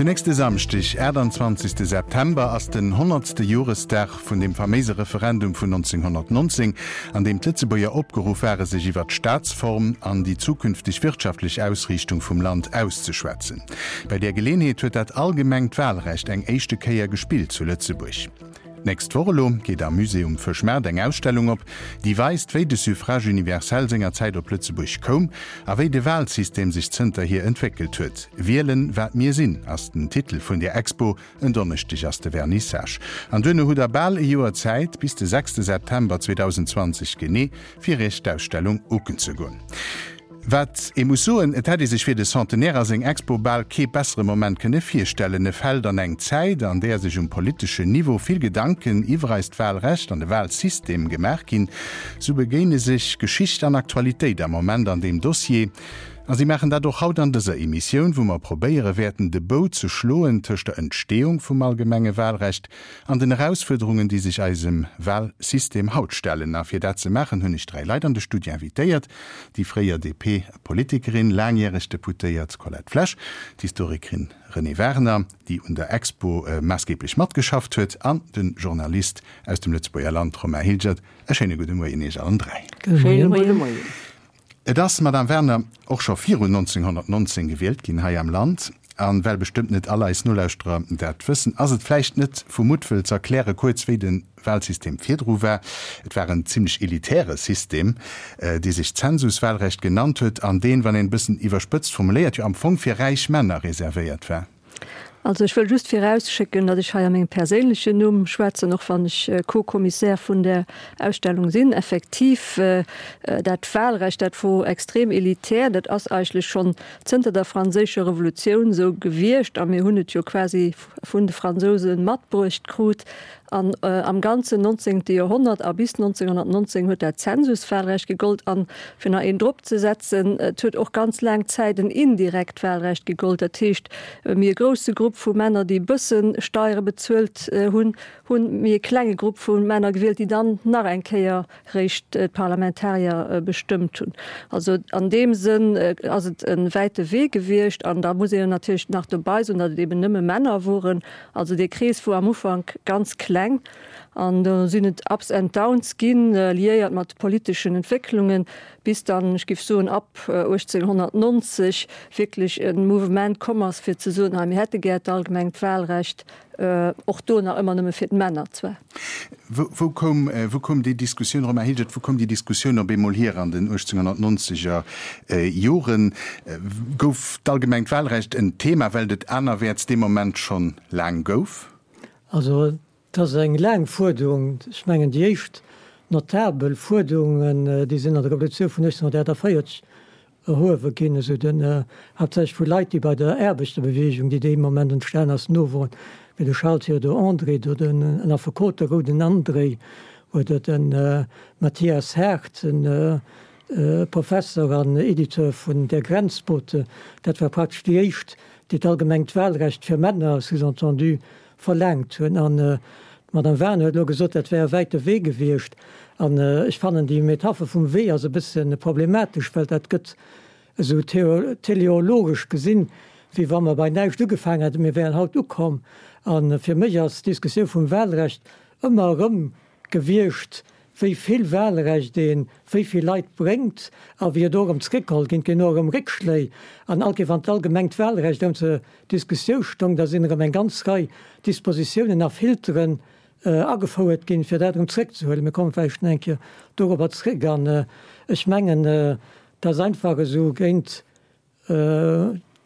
Den nächste Samschdeg, 28 September, ass den honnertste Joresdag vun deem faméise Referendum vun 1919, an deem d'Lëtzebuerger opgeruff ware sech iwwer d'Staatsform an déi zukünfteg wirtschaftlech Ausriichtung vum Land auszeschwätzen. Bei där Geleenheet huet dat allgemengt Wahlrecht eng éischte Kéier gespillt zu Lëtzebuerg. D'nächst Woch elo geet am Musée um Fëschmaart eng Ausstellung op, déi weist, wéi de Suffrage universel sengerzäit op Lëtzebuerg koum a wéi de Wahlsystem sech zënterhier entwéckelt huet. Wielen, wat mir sinn ass den Titel vun där Expo. En Donneschdeg ass de Vernissage. An duerno hutt der bal e Joer Zäit, bis de sechste September 2020 genee, fir iech d'Ausstellung ucken ze goen. Wat ee muss soen, et hätt ee sech fir de Centenaire a seng Expo bal kee bessere Moment kënne virstellen. E fält an eng Zäit, an där sech um politeschen Niveau vill Gedanken iwwer eist Wahlrecht an de Wahlsystem gemaach ginn. Sou begéine sech Geschicht an Aktualitéit am Moment an deem Dossier. A si maachen dat och haut an dëser Emissioun, wou mer probéiere wäerten, de Bou ze schloen tëscht der Entstehung vum allgemenge Wahlrecht an den Erausfuerderungen, déi sech eisem Wahlsystem haut stellen. A fir dat ze maachen, hunn ech 3 Leit an de Studio invitéiert, déi fréier DP-Politikerin, laangjäreg Deputéiert Colette Flesch, d'Historikerin Renée Wagener, déi un der Expo maassgeeblech matgeschafft huet, an de Journalist aus dem Lëtzebuerger Land Romain Hilgert. E schéine gudde Moien Iech allen 3. Schéine gudde Moien. Et ass, Madame Werner, och scho virun 1919 gewielt ginn hei am Land. A well bestëmmt net all eis Nolauschterer dat wëssen, ass et vläicht net vu Muttwëll z'erkläre kuerz, wéi de Wahlsystem virdru war. Et war en zimlech elitäre System, dee sech Zensuswahlrecht genannt huet an deen, wann een e bëssen iwwerspëtzt formuléiert, jo am Fong fir räich Männer reservéiert war. Also ech wëll just virausschécken, datt ech hei a mengem perséinlechen Numm schwätzen, och wann ech Co-Commissaire vun där Ausstellung sinn. Effektiv, dat Wahlrecht, dat wor extrem elitär. Dat ass eigentlech schonn zënter der Franséischer Revolutioun esou gewiescht a mir hunn et jo quasi vun de Fransouse matbruecht krut. An am ganzen nonzéngte Joerhonnert a bis 1919 huet dat Zensuswahlrecht gegollt. An, fir nach een drop ze setzen, et huet och ganz laang Zäit en indirekt Wahlrecht gegollt. Dat heescht, méi e grousse Grupp vu Männer, déi e bësse Steiere bezuelt hunn, hunn méi e klenge Grupp vu Männer gewielt, déi dann nach eng Kéier réischt d'Parlamentarier bestëmmt hunn. Also an deem Sënn ass et e wäite Wee gewiescht. An da muss een natierlech nach dobei soen, datt et eben nëmme Männer woren. Also dee Krees wor am Ufank ganz kleng an do sinn et Ups and Downs ginn, liéiert mat politeschen Entwécklungen, bis dann, ech géif soen, ab 1890 wierklech e Mouvement komm ass, fir ze soen, hei mir hätte gär d'allgemengt Wahlrecht, och do nach ëmmer nëmme fir d'Männer zwar. Wou koum, wou koum déi Diskussioun, Romain Hilgert, wou koum déi Diskussioun op eemol hier an den 1890er Joren? Gouf d'allgemengt Wahlrecht en Thema, well et et anerwäerts dee Moment schonn laang gouf? Also et ass eng laang Fuerderung. Ech mengen déi éischt notabel Fuerderungen, déi sinn an der Revolutioun vun 1848 erhuewe ginn, esou den, haaptsächlech vu Leit, déi bei der Aarbechterbewegung, déi dee Moment entstan ass, no woren, wéi de Charles Théodore André, do den en Affekot, de Rouden André, oder de Mathias Hardt, en Professer an Editeur vun Der Grenzbote. Dat war praktesch déi éischt, déi d'allgemengt Wahlrecht fir Männer, sous-entendu, verlaangt hunn. An d'Madame Wagener huet elo gesot, dat wär e wäite Wee gewiescht. An ech fannen, déi Metapher vum Wee ass e bësse problematesch, well dat gëtt esou teleologesch gesinn, wéi wa mer bei näischt ugefaangen hätten, mir wären haut ukomm. A fir mech ass d'Diskussioun vum Wahlrecht ëmmer erëm gewiescht, wéi vill Wahlrecht ee wéi vill Leit bréngt a wéi et och erëm zréckgeholl ginn. Et ginn och erëm Réckschléi an all Kéier wann d'allgemengt Wahlrecht erëm zur Diskussiou stong, da sinn erëm eng ganz Rei Dispositiounen a Filteren agefouert ginn, fir dat erëm zréckzehuelen. Mir komme vläicht nach eng Kéier dorobber zréck. An ech mengen, dass einfach esou géint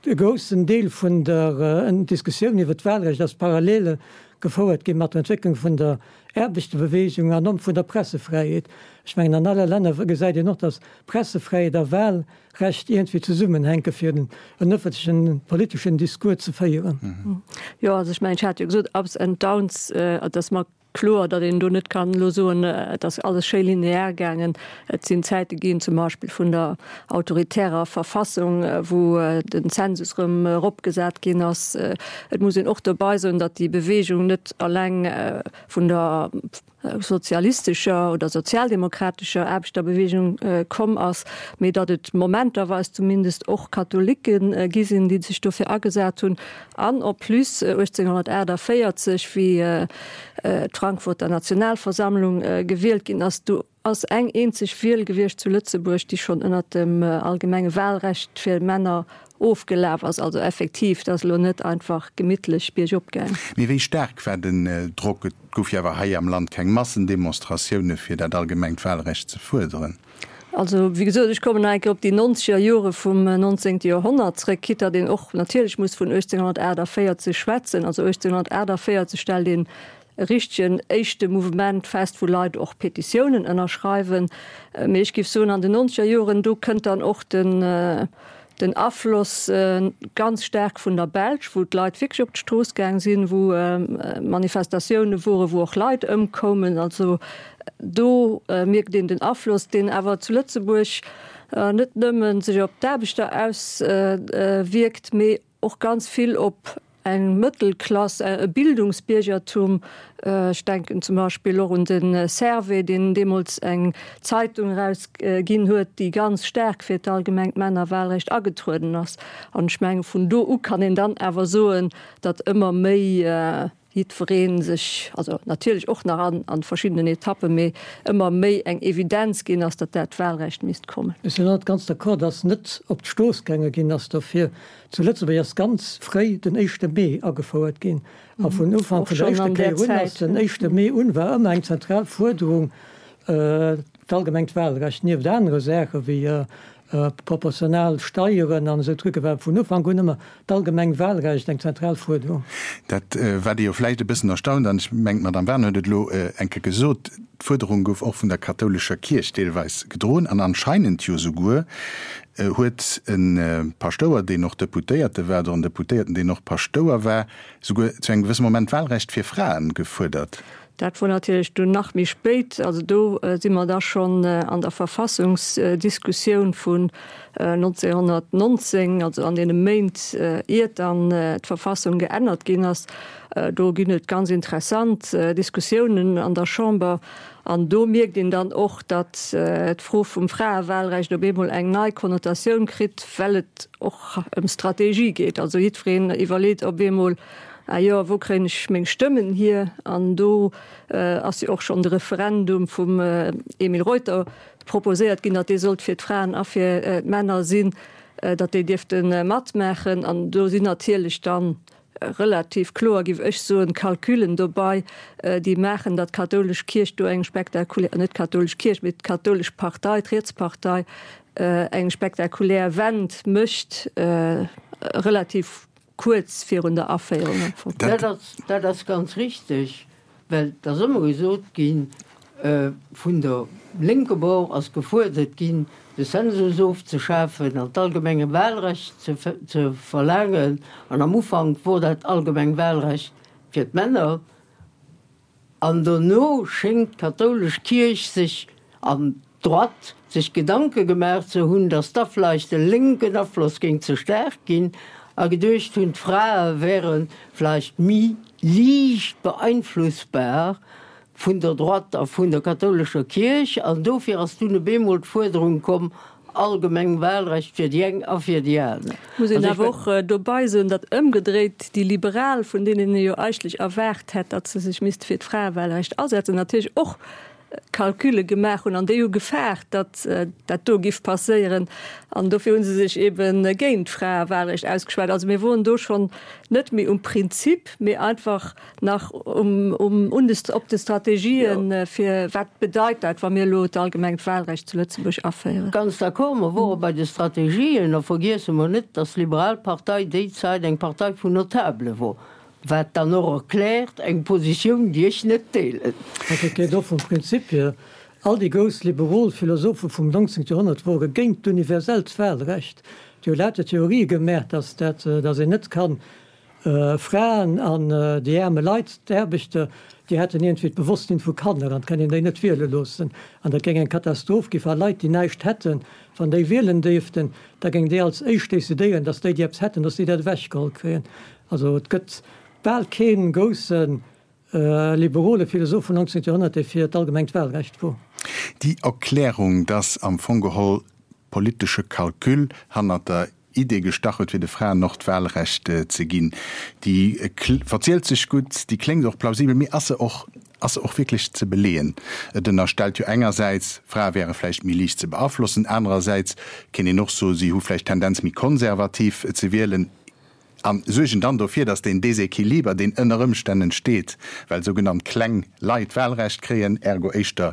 E groussen Deel vun der Diskussioun iwwer d'Wahlrecht ass parallel gefouert gi mat der Entwécklung vun der Aarbechterbeweegung an och vun der Pressefräiheet. Ech mengen, an alle Länner gesäit een och, datt Pressefräiheet a Wahlrecht iergendwéi zesummenhänke fir en ëffentlechen politeschen Discours ze féieren. Jo, also ech mengen, ech hat jo gesot, Ups and Downs, datt mer Kloer, datt een do net kann elo soen, et ass alles schéi linear gaangen. Et sinn Zäite ginn, zum Beispill vun der autoritärer Verfassung, wou den Zensus erëm eropgesat ginn ass. Et muss een och dobei soen, datt déi Bewegung net alleng vun der. sozialistescher oder sozialdemokratescher Aarbechterbewegung komm ass, mee datt et momenterweis zumindest och Katholike gi sinn, déi sech dofir agesat hunn. An en plus 1848, wéi d'Frankfurter Nationalversammlung gewielt ginn ass, do ass eng eenzeg Wiel gewiescht zu Lëtzebuerg, déi schonn ënnert dem allgemenge Wahlrecht fir Männer ofgelaf ass. Also effektiv, et ass elo net einfach gemittlech biergop gaang. Mee wéi staark war den Drock? Et gouf jo awer hei am Land keng Massendemonstratioune fir dat allgemengt Wahlrecht ze fuerderen. Also, wéi gesot, ech kommen nach eng Kéier op déi nonzeger Jore vum nonzéngte Joerhonnert zréck, quitte datt een och natierlech muss vun 1848 schwätzen. Also 1848 stellt een e richtegen éischte Mouvement fest, wou Leit och Petitiounen ënnerschreiwen. Mee ech géif soen, an den nonzeger Joren, do kënnt dann och den, den Afloss ganz staark vun der Belsch, wou d'Leit wierklech op d'Strooss gaang sinn, wou Manifestatioune woren, wou och Leit ëmkoumen. Also do mierkt een den Afloss, deen awer zu Lëtzebuerg net nëmme sech op d'Aarbechter auswierkt, mee och ganz vill op eng Mëttelklass, e Bildungsbiergertum. Ech denken zum Beispill och un de Servais, deen deemools eng Zeitung erausginn huet, déi ganz staark fir d'allgemengt Männerwahlrecht agetrueden ass. An ech menge vun do u kann een dann awer soen, datt ëmmer méi jiddweree sech, also natierlech och nach an a verschiddenen Etappen, mee ëmmer méi eng Evidenz ginn ass, datt dat Wahlrecht misst kommen. Ech sinn net ganz d'accord, datt net op d'Strooss gaange ginn ass dofir. Zu Lëtzebuerg ass ganz fréi den éischte Mee agefouert ginn a vun Ufank vun der éischter Kéier un ass den éischte Mee un war ëmmer eng zentral Fuerderung d'allgemengt Wahlrecht nieft anere Saache wéi proportional Steieren an esou Trucke war vun Ufank un ëmmer d'allgemeng Wahlrecht eng zentral Fuerderung. Dat wat ee jo vläicht e bëssen erstaunt, an ech mengen d'Madame Wagener huet et elo eng Kéier gesot, d'Fuerderung gouf och vun der kathoulescher Kierch deelweis gedroen an anscheinend jo souguer huet e Paschtouer, deen och Deputéierte war, oder en Deputéierten, deen och Paschtouer war, souguer zu engem gewësse Moment d'Wahlrecht fir Fraen gefuerdert. Dat wor natierlech dunn nach méi spéit. Also do si mer da schonn an der Verfassungsdiskussioun vun 1919, also an deene Méint, iert dann d'Verfassung geännert ginn ass. Do ginn et ganz interessant Diskussiounen an der Chamber. An do mierkt een dann och, datt d'Fro vum Fraewahlrecht op eemol eng nei Konnotatioun kritt, well et och ëm Strategie geet. Also jiddwereen iwwerleet op eemol, Ah jo, wou kréien ech meng Stëmmen hier? An do ass jo och schonn de Referendum vum Emile Reuter proposéiert ginn, datt dee sollt fir d'Fraen a fir d'Männer sinn, datt déi dierfte matmaachen. An do sinn natierlech dann relativ kloer, géif ech soen, Calculen dobei, déi maachen, datt d'kathoulesch Kierch do eng spektakulär, net d'kathoulesch Kierch, mee d'kathoulesch Partei, d'Rietspartei, eng spektakulär Wend mécht, relativ kuerz virun der Aféierung am Fong. Dat ass ganz richteg. Well et ass ëmmer gesot ginn, vun der lénke Bord ass gefuerdert ginn, de Zensus ofzeschafen an d'allgemenge Wahlrecht ze verlaangen. An am Ufank wor dat allgemeng Wahlrecht fir d'Männer. An dono schéngt d'kathoulesch Kierch sech an d'Droite sech Gedanke gemaach ze hunn, datt da vleicht de lénken Afloss géing ze staark ginn, a geduecht hunn, d'Frae wäre vleicht méi liicht beeinflussbar vun der Droite a vun der kathoulescher Kierch. An dofir ass dunn op eemol d'Fuerderung komm, allgemeng Wahlrecht fir déi eng a fir déi aner. Muss een awer och dobei soen, datt ëmgedréit déi Liberal, vun deenen ee jo eigentlech erwaart hätt, datt se sech misste fir d'Fraewahlrecht asetzen, natierlech och Calcule gemaach hunn an déi hu gefaart, datt dat do giff passéieren an dofir hu se sech ebe géint d'Fraewahlrecht ausgeschwat. Also mir woren do schonn net méi um Prinzip, mee einfach nach um, um, un de, op de Strategien, fir wat bedeit dat, wa mir elo d'allgemengt Wahlrecht zu Lëtzebuerg aféieren. Ganz d'accord, mer wore bei de Strategien a vergiesse mer net, datt d'Liberal Partei déi Zäit eng Partei vun Notabele wor. Wat dann och erkläert eng Positioun, déi ech net deelen. Also et geet och vum Prinzip hier, all déi grouss liberol Philosophe vum 19. Joerhonnert wore géint d'universellt Wahlrecht. Déi hu lauter Theorië gemaach, dass dat, dass een net kann Fraen an déi aarme Leit, d'Aarbechter, déi hätten iergendwéi d'Bewosstsinn vu Kanner an et kann een déi net wiele loossen. An dat géing eng Katastroph gi wa Leit, déi näischt hätten, wann déi wielen dierften, da géing déi als éischt decidéieren, dass déi, déi eppes hätten, dass déi dat ewechgeholl kréien. Also et gëtt bal kee grousse. liberole Philosoph vum 19. Joerhonnert, dee fir d'allgemengt Wahlrecht wor. Déi Erklärung, dass am Fong geholl politesche Calcul hannert der Idee gestach huet, fir de Fraen och d'Wahlrecht ze ginn, déi verzielt sech gutt, déi kléngt och plausibel, mee ass se och, ass se och wierklech ze beleeën? Et ënnerstellt jo engersäits, Frae wäre vläicht méi liicht ze beaflossen, anerersäits kéint een och soen, si hu vläicht d'Tendenz méi konservativ ze wielen. A suergen dann dofir, datt deen Desequiliber, deen ënner Ëmstänn entsteet, well sougenannt kleng Leit Wahlrecht kréien, ergo éischter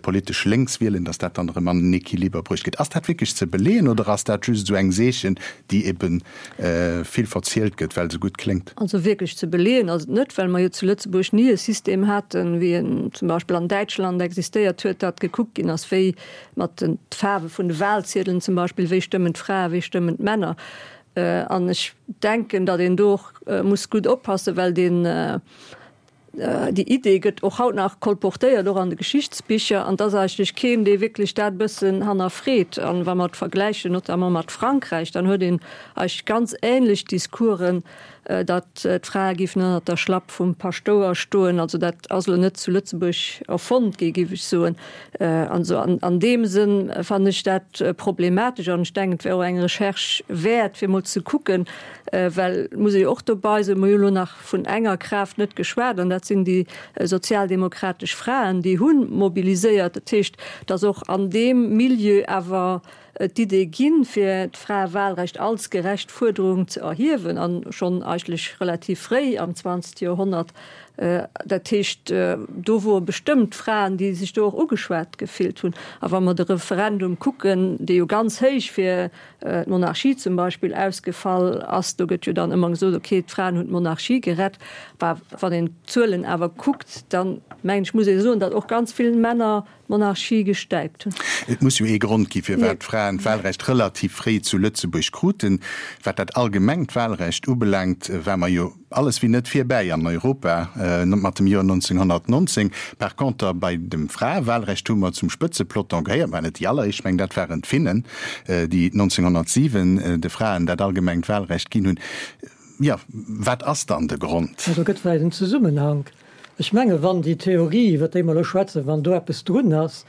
politesch lénks wielen, datt dat dann erëm an en Equiliber bruecht gëtt. Ass dat wierklech ze beleeën oder ass dat just esou eng Seechen, déi ebe vill verzielt gëtt, well se gutt kléngt? Also wierklech ze beleeën ass et net, well mer jo zu Lëtzebuerg ni e System haten, wéi en zum Beispill an Däitschland existéiert huet, datt gekuckt ginn ass, wéi mat de Faarwe vun de Wahlziedelen zum Beispill, wéi stëmmen d'Frae, wéi stëmmen d'Männer. An ech denken, datt een do och muss gutt oppassen, well deen, déi Idee gëtt och haut nach kolportéiert, och an de Geschichtsbicher, an et ass eigentlech keen, dee wierklech dat e bëssen hannerfreet. An wa mer et vergläichen, notamment mat Frankräich, dann huet een eigentlech ganz ähnlech Discoursen, datt d'Frae géifen ënnert der Schlapp vum Paschtouer stoen. Also dat ass elo net zu Lëtzebuerg erfonnt gi, géif ech soen. Also an deem Sënn fannen ech dat problematesch an ech denken, et wär och eng Recherche wäert, fir emol ze kucken, well et muss ee jo och dobei soen, mer hu elo nach vun enger Kraaft net geschwat an dat sinn déi sozialdemokratesch Fraen, déi hu mobiliséiert. Dat heescht, datt och an deem Milieu awer d'Idee ginn, fir d'Fraewahlrecht als gerecht Fuerderung ze erhiewen, a schonn eigentlech relativ fréi am zwanzegste Joerhonnert. Dat heescht, do wore bestëmmt Fraen, déi sech do och ugeschwat gefillt hunn. A wa mer de Referendum kucken, dee jo ganz héich fir d'Monarchie zum Beispill ausgefall ass, do gëtt jo dann ëmmer gesot, okay, d'Fraen hunn d'Monarchie gerett. Bah, wann een d'Zuelen awer kuckt, dann mengen ech, muss ee soen, datt och ganz vill Männer d'Monarchie gestäipt hunn. Et muss jo ee Grond gi firwat d'Fraen d'Wahlrecht relativ fréi zu Lëtzebuerg kruten. Wat dat allgemengt Wahlrecht ubelaangt, war mer jo alles wéi net virbäi an Europa mat dem Joer 1919. Par conter bei dem Fraewahlrecht hu mer zum Spëtzepeloton gehéiert, mä net déi alleréischt, ech mengen dat waren d'Finnen, déi 1907 de Fraen dat allgemengt Wahlrecht ginn hunn. Jo, wat ass dann de Grond? Do gëtt vläicht en Zesummenhank. Ech menge wann déi Theorie, iwwer déi mer elo schwätzen, wann do eppes drun ass,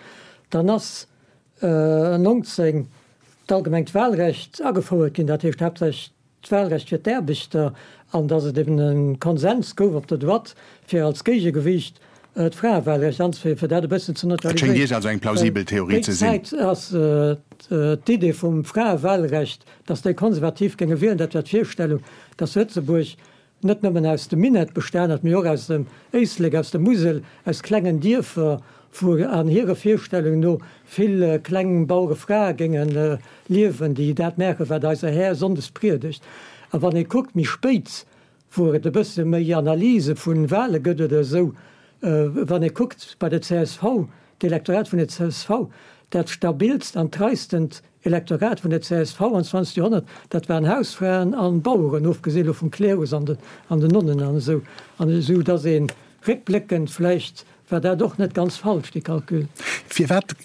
dann ass 19 d'allgemengt Wahlrecht agefouert ginn, dat heescht haaptsächlech d'Wahlrecht fir d'Aarbechter, an datt et eben e Konsens gouf op der Droite, fir als Géigegewiicht d'Fraewahlrecht anzeféieren, fir dat e bëssen ze Et schéngt Iech also eng plausibel Theorie ze sinn. Déi Zäit ass d'Idee vum Fraewahlrecht, datt déi Konservativ géinge wielen, dat war d'Virstellung, datt Lëtzebuerg net nëmmen aus dem Minett bestan huet, mee och aus dem Éislek, aus der Musel, aus klengen Dierfer, wou an hire Virstellungen no vill kleng Bauerefrae géinge liewen, déi dat maachen, wat eiser Här sonndes priedegt. A wann ee kuckt méi spéit, wou et e bësse méi Analyse vu Wahle gëtt oder esou, wann ee kuckt bei der csv, d'Elektorat vun der csv, dat stabilst an treistent Elektorat vun der csv am 20. Joerhonnert, dat waren Hausfraen an Baueren, ofgesi lo vum Klerus an den Nonnen an esou. An esou datt ee réckbléckend vläicht war dat och net ganz falsch, dee Calcul. Firwat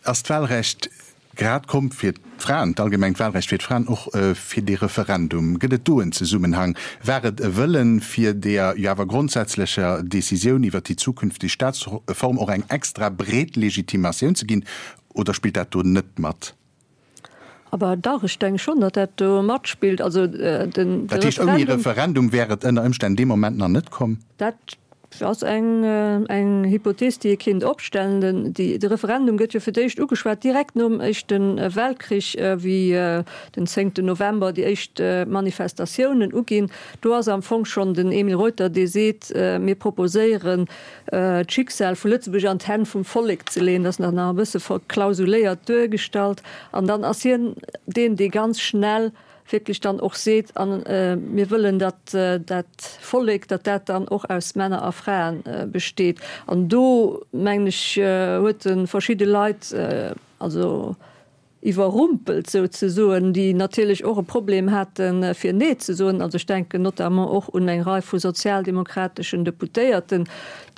ass d'Wahlrecht grad komm fir d'Fraen, d'allgemengt Wahlrecht fir d'Fraen, och fir dee Referendum? Gëtt et do en Zesummenhang? War et e Wëllen, fir deeër jo awer grondsätzlecher Decisioun iwwert déi zukünfteg Staatsform och eng extra breet Legitimatioun ze ginn, Oder spillt dat do net mat? Aber dach, ech denke schonn, datt dat do matspillt. Also den Dat heescht, ouni Referendum wär et ënner Ëmstänn dee Moment nach net komm? Dat ass eng, eng Hypothees, déi ee kéint opstellen. Den, déi, de Referendum gëtt jo fir d'éischt ugeschwat direkt nom Éischte Weltkrich, wéi den zéngten November déi éischt Manifestatiounen uginn. Do ass am Fong schonn den Emile Reuter, dee seet, Mir proposéieren, d'Schicksal vu Lëtzebuerg an d'Hänn vum Vollek ze leeën. Dat ass nach e bësse verklausuléiert duergestallt. An dann ass hien deen, dee ganz schnell wierklech dann och seet, a mir wëllen, datt dat Vollek, datt dat dann och aus Männer a Frae besteet. An do, mengen ech, huet e verschidde Leit, also iwwerrumpelt souzesoen, déi natierlech och e Problem haten, fir Nee ze soen. Also ech denken notamment och un eng Rei vu sozialdemokrateschen Deputéierten,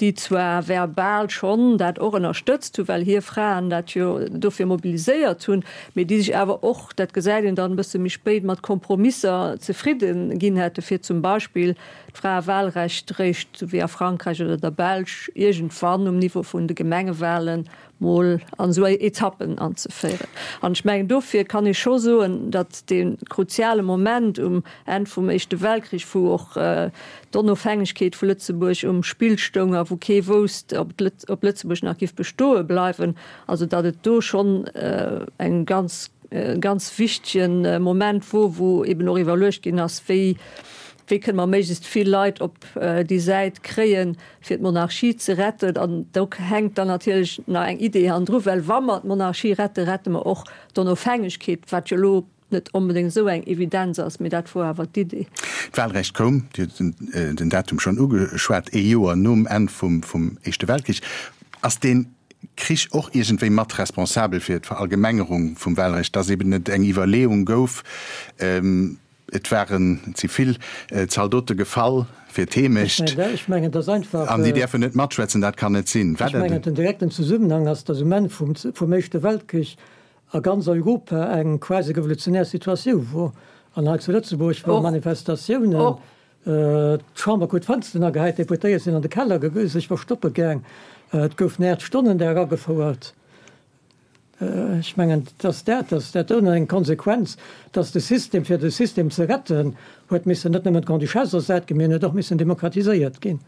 déi zwar verbal schonn dat och ënnerstëtzt hunn, well hir Fraen dat jo dofir mobiliséiert hunn, mee déi sech awer och, dat gesäit een dann e bësse méi spéit, mat Kompromisser zefridde ginn hätte fir zum Beispill d'Fraewahlrecht réischt, sou wéi a Frankräich oder der Belsch, iergendwann um Niveau vun de Gemengewahlen mol an esou Etappen anzeféieren. An ech mengen, dofir kann ee scho soen, datt dee kruziale Moment um Enn vum Éischte Weltkrich, wou och d'Onofhängegkeet vu Lëtzebuerg um Spill stoung a wou kee wousst, ob Lëtzebuerg nach giff bestoe bleiwen, also datt et do schonn eng ganz, e ganz wichtege Moment wor, wou eben och iwwerluecht ginn ass, wéi, wéi kënne mer méiglechst vill Leit op déi Säit kréien, fir d'Monarchie ze retten. An do hänkt dann natierlech nach eng Idee hannendru, well wa mer d'Monarchie retten, rette mer och d'Onofhängegkeet, wat jo elo net onbedéngt esou eng Evidenz ass, mee dat wor awer d'Idee. D'Wahlrecht koum, Dir hutt den Datum schonn ugeschwat, ee Joer nom Enn vum Éischte Weltkrich. Ass dee Krich och iergendwéi mat responsabel fir d'Verallgemengerung vum Wahlrecht, dass eben et eng Iwwerleeung gouf, et waren, et si vill Zaldote gefall fir d'Heemecht an déi däerfen net matschwätzen, dat kann net sinn. Ech mengen, den direkten Zesummenhang ass, dass um Enn vum Éischte Weltkrich a ganz Europa eng quasi revolutionär Situatioun wor. An hei zu Lëtzebuerg ware Manifestatiounen, d'Chamber krut d'Fënsteren agehäit, d'Deputéiert sinn an de Keller sech verstoppe gaang, et gouf en Aacht-Stonnen-Dag agefouert. Ech mengen, dass dat, dass dat do eng Konsequenz, dass de System, fir de System ze retten, huet missen net nëmmen d'Grande-Duchesse ersat ginn, mee en huet och missen demokratiséiert ginn.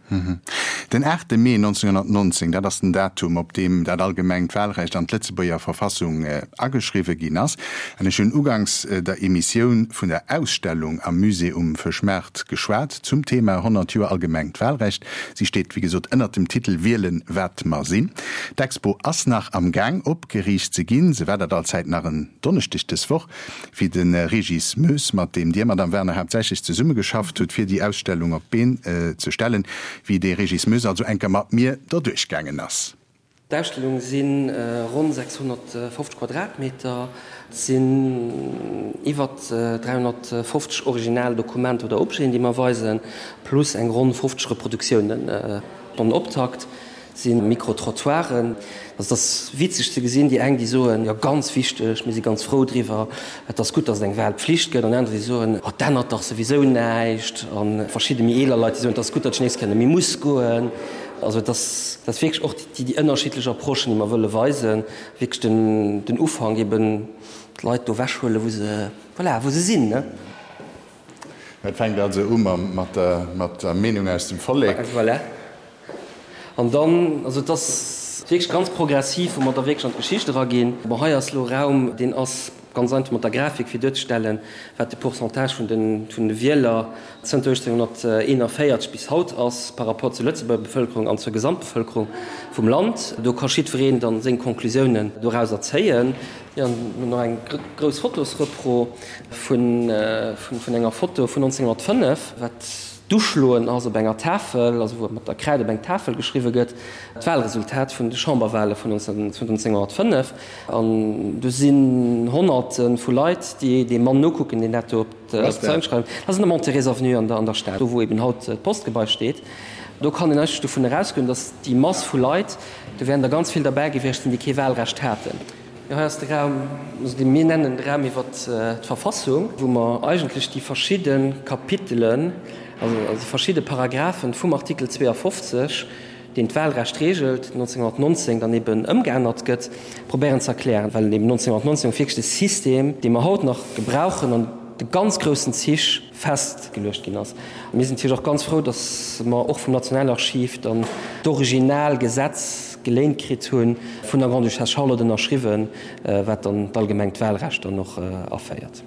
Den aachte Mee 1919, dat ass den Datum, op deem dat allgemengt Wahlrecht an d'Lëtzebuerger Verfassung ageschriwwe ginn ass. An ech hunn uganks der Emissioun vun der Ausstellung am Musée um Fëschmaart geschwat zum Thema 100 Joer allgemengt Wahlrecht. Si steet, wéi gesot, ënnert dem Titel Wielen, wat mer sinn. D'Expo ass nach am Gaang opgeriicht ze ginn. Se war dat allzäit nach en Donneschdeg dës Woch. Wéi de Régis Moes, mat deem Dir, Madame Werner, haaptsächlech zesummegeschafft hutt, fir déi Ausstellung op d'Been ze stellen, wéi dee Régis Moes also enker mat mir derduerch gaangen ass. D'Ausstellung si ronn 650 Quadratmeter, et sinn iwwer 350 original Dokumenter oder Objeten, déi mer weisen, plus eng ronn 50 Reproduktiounen. Den Optakt Si Micro-Trottoiren. Also et ass witzeg ze gesinn, déi eng déi soen, jo ganz wichteg, mir si ganz frou driwwer, et ass gutt, datt et eng Wahlpflicht gëtt, an aner déi soen, oh et ännert dach souwisou näischt, a verschidde méi eeler Leit déi soen, et ass gutt, datt ech nees kënne méi muss goen. Also et ass et ass wierklech och déi déi ënnerschiddlech Approchen, déi mer wëlle weisen, wierklech den den Ufank eben d'Leit do ewechhuelen, wou se, voilà, wou se sinn, ne. Et fänkt also u mat der Meenung aus dem Vollek. Voilà. An dann, also et ass wierklech ganz progressiv, wou mer da wierklech an d'Geschicht eraginn. Bon, hei ass elo Raum, deen ass ganz einfach mat der Grafik, fir duerzestellen, wat de Pourcentage vun de Wieler zënter 1841 bis haut ass par rapport zur Lëtzebuerger Bevëlkerung an zur Gesamtbevëlkerung vum Land. Do ka jiddwereen dann seng Conclusiounen dorauser zéien. Jo, an hunn nach eng grouss Fotosrepro vun enger Foto vun 1905, wat d'Uschloen ass op enger Tafel, also wou mat der Kräid op eng Tafel geschriwwe gëtt, d'Wahlresultat vun de Chamberwahle vun 1905. An do sinn Honnerte vu Leit, déi deem Mann nokucken, deen dat do op d'Zeil schreift. Dat ass an der Mont-Thérèse Avenue an der Stad, do wou eben haut d'Postgebai steet. Do kann een eigentlech dovun erausgoen, datt déi Mass vu Leit, do wären der ganz vill derbäi gewiescht sinn, déi kee Wahlrecht haten. Jo, hei ass de Raum, also dee mir nennen de Raum iwwer d'Verfassung, wou mer eigentlech déi verschidde Kapitelen, also déi verschidde Paragraphen vum Artikel 52, deen d'Wahlrecht regelt, 1919 dann eben ëmgeännert gëtt, probéieren ze erklären, well eben 1919 wierklech de System, dee mer haut nach gebrauchen, an de ganz groussen Zich festgeluecht ginn ass. Mir sinn natierlech och ganz frou, dass mer och vum Nationalarchiv dann d'original Gesetz geléint kritt hunn, vun der Grande-Duchesse Charlotte ënnerschriwwen, wat dann d'allgemengt Wahlrecht dann och aféiert.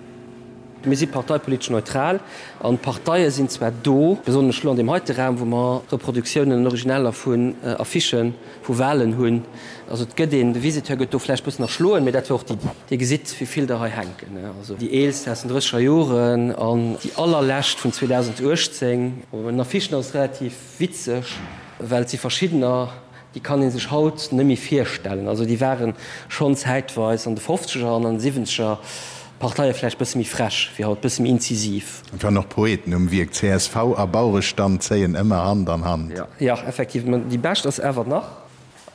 Mir si parteipolitesch neutral an d'Parteie sinn zwar do, besonnesch elo an deem heite Raum, wou mer Reproduktiounen an Originaler vun Affichen vu Wahlen hunn. Also et gëtt een, de Visiteur gëtt do vläicht bëssen erschloen, mee dat war och d'Iddi. Dir gesitt, wéi vill der hei hänken, also déi eelst aus den drësseger Joren an déi allerlescht vun 2018. Bei den Affichen ass et relativ witzeg, well et si verschiddener, déi kann ee sech haut net méi virstellen. Also déi ware schonn zäitweis an de Fofzeger an an de Siwwenzeger. d'Parteie vläicht bësse méi frech wéi haut, bësse méi inzisiv. Et waren och Poeten um Wierk, csv a Bauerestand zéien ëmmer Hand an Hand. Jo, effektiv. Mä déi bescht ass awer nach,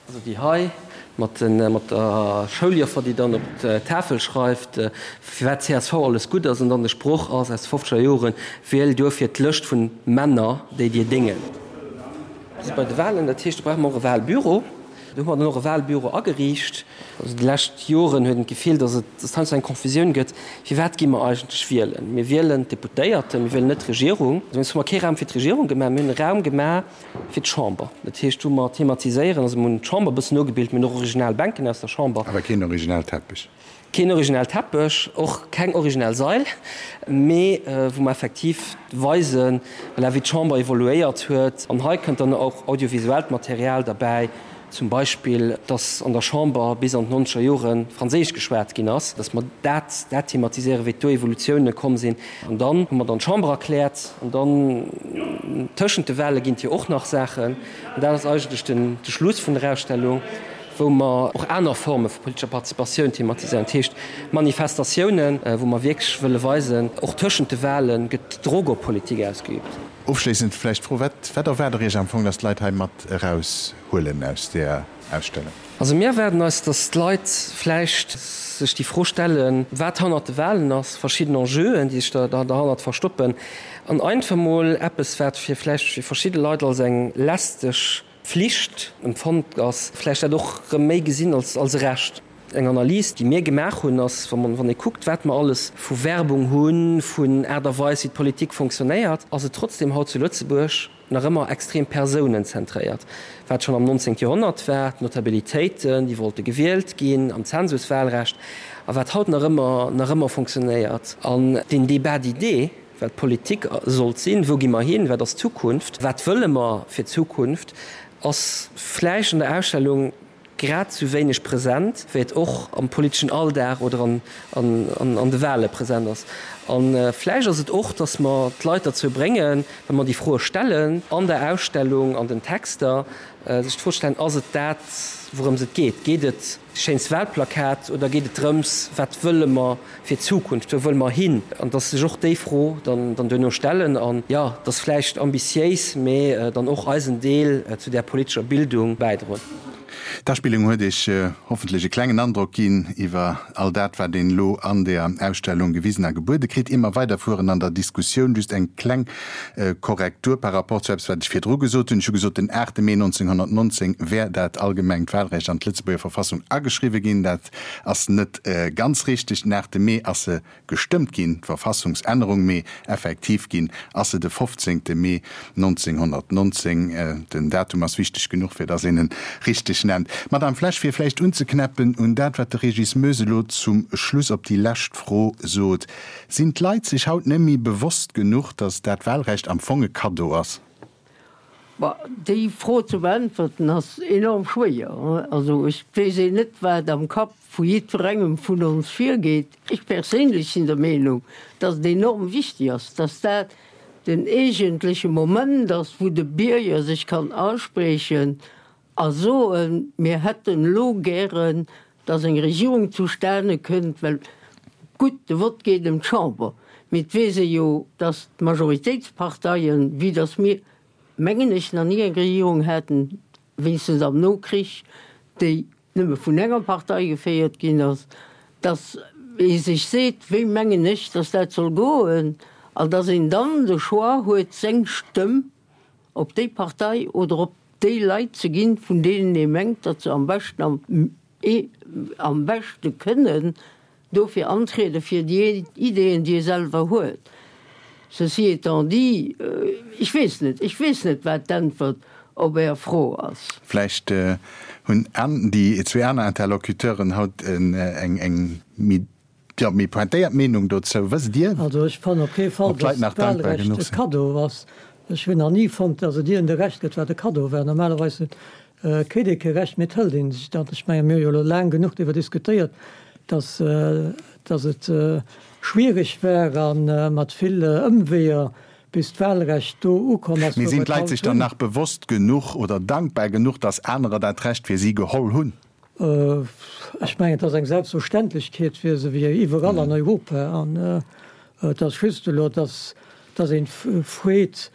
also déi hei mat mat der Schouljoffer, déi dann op d'Tafel schreift, firwat csv alles gutt ass, an dann de Sproch ass aus de fofzeger Joren, Wiel duerfir d'Lëscht vun Männer, déi dir déngen. Si bei de Wahlen, dat heescht, do brauche mer och e Wahlbüro. Do hu mer dann och e Wahlbüro ageriicht. Also déi lescht Joren huet een d'Gefill, datt et datt et heiansdo eng Confusioun gëtt, Firwat gi mer eigentlech wielen? Mir wielen d'Deputéierten, mir wielen net d'Regierung. Dowéinst hu mer kee Raum fir d'Regierung gemaach, mir hunn e Raum gemaach fir d'Chamber. Dat heescht, wou mer thematiséieren, also mir hunn d'Chamber e bëssen nogebilt, mir hunn och original Bänken aus der Chamber. Awer keen original Teppech. Keen originell Teppech, och keng originell Sail, mee wou mer effektiv weisen, voilà, wéi d'Chamber evoluéiert huet. An hei kënnt dann och audiovisuellt Material derbäi, zum Beispill, dass an der Chamber bis an d'nonzeger Jore Franséisch geschwat ginn ass, dass mer dat, dat thematiséieren, wéi do Evolutiounen komm sinn. An dann hu mer dann d'Chamber erkläert. An dann tëschent de Wahle ginn et jo och nach Saachen. An dat ass eigentlech den, de Schluss vun der Ausstellung. wou mer och aner Forme vu politescher Participatioun thematiséieren, dat heescht Manifestatiounen, wou mer wierklech wëlle weisen, och tëschent de Wahle gëtt Drock op Politik ausgeübt. Ofschléissend vläicht d'Fro, Wat, wat erwaart Der Iech am Fong, dass d'Leit hei mat eraushuelen aus där Ausstellung? Also mir erwaarden eis, dass d'Leit vläicht sech déi Fro stellen, wat hannert de Wahlen ass, verschidden Enjeuen, déi sech derhannert verstoppen, an einfach mol eppes, wat fir vläicht fir verschidde Leit als eng lästeg Flicht empfonnt ass, vläicht dat och erëm méi gesinn als als e Recht. Eng Analys, déi mir gemaach hunn, ass, wa man, wann ee kuckt, wat mer alles vu Werbung hunn, vun Aart a Weis, wéi d'Politik fonctionnéiert, ass et trotzdem haut zu Lëtzebuerg nach ëmmer extrem persounenzentréiert, wat schonn am 19. Joerhonnert war, d'Notabilitéiten, déi wollte gewielt ginn am Zensuswahlrecht, a wat haut nach ëmmer nach ëmmer fonctionnéiert. An deen Débat d'idées, Wat Politik sollt sinn, wou gi mer hin, wat ass d'Zukunft, wat wëlle mer fir d'Zukunft, ass vläicht an der Ausstellung grad esou wéineg present, wéi et och am politeschen Alldag oder an de Wahle present ass. A vläicht ass et och, datt mer d'Leit derzou bréngen, wa mer déi Froe stellen an der Ausstellung, an den Texter, sech d'Fro ze stellen, Ass et dat, wourëms et geet? Geet et Schéinst Wahlplakat oder geet et drëms, wat wëlle mer fir d'Zukunft, wou wëlle mer hin? An dass sech och déi Fro dann duerno stellen an, jo, dass vläicht ambitiéis, mee dann och eisen Deel zu där politescher Bildung bäidroen. D'Aspillung huet Iech hoffentlech e klengen Androck ginn iwwer all dat, wat een elo an der Ausstellung gewisen a gebuede kritt. Ier mer weiderfueren an der Diskussioun, just eng kleng Korrektur par rapport zu eppes, wat ech virdru gesot hunn. Ech hu gesot, den 8 Mee 1919 wär dat allgemengt Wahlrecht an d'Lëtzebuerger Verfassung ageschriwwe ginn. Dat ass net ganz richteg. Den 8 Mee ass se gestëmmt ginn, d'Verfassungsännerung, mee effektiv ginn ass se de 15 Mee 1919. Den Datum ass wichteg genuch, fir dass een en richteg nennt. Madame Flesch, fir vläicht unzeknäppen un dat, wat de Régis Moes elo zum Schluss op déi lescht Fro sot, Sinn d'Leit sech haut net méi bewosst genuch, datt dat Wahlrecht am Fong e Kaddo ass? Bah, déi Fro ze beäntwerten ass enorm schwéier. Also ech weess een net, wat am Kapp vu jiddwerengem vun ons virgeet. Ech perséinlech sinn der Meenung, datt et enorm wichtig ass, datt dat den eegentleche Moment ass, wou de Bierger sech kann aspriechen a soen, mir hätten elo gären, dass eng Regierung zustane kënnt, well gutt, de Vott geet ëm d'Chamber, mee et weess ee jo, dass d'Majoritéitsparteien, vue dass mir, mengen ech, nach ni eng Regierung haten, wéinstens am Nokrich, déi nëmme vun enger Partei geféiert ginn ass, dass ee sech seet, wéi mengen ech, dass dat soll goen, an dass een dann de Choix huet, seng Stëmm op déi Partei oder op déi Leit ze ginn, vun deenen ee mengt, datt se am beschten am am beschte kënnen dofir antriede fir déi Ideeën, déi ee selwer huet. Ceci étant dit, ech weess net, ech weess net, wat d'Äntwert op Är Fro ass. Vläicht hunn déi zwee aner Interlocuteuren haut eng eng méi Jo, méi pointéiert Meenung dozou, wësst Dir? Also ech fannen op kee Fall, Ob d'Leit dass nach dankbar d'Wahlrecht genuch e sinn? Kaddo ass. Ech hunn nach ni fonnt, dass et iergend e Recht gëtt, wat e Kaddo war. Normalerweis kritt ee kee Recht, mee et hëlt ee sech dat. Ech mengen, mir hu jo elo laang genuch driwwer diskutéiert, dass, dass et schwiereg war a mat vill Ëmweeër, bis d'Wahlrecht do ukomm ass, Mee wou sinn mer et d'Leit haut sech dann hunn. nach bewosst genuch oder dankbar genuch, dass anerer dat Recht fir si geholl hunn? Ech mengen, et ass eng Selbstverständlechkeet fir se wéi iwwerall an Europa. An et ass just elo, dass een freet,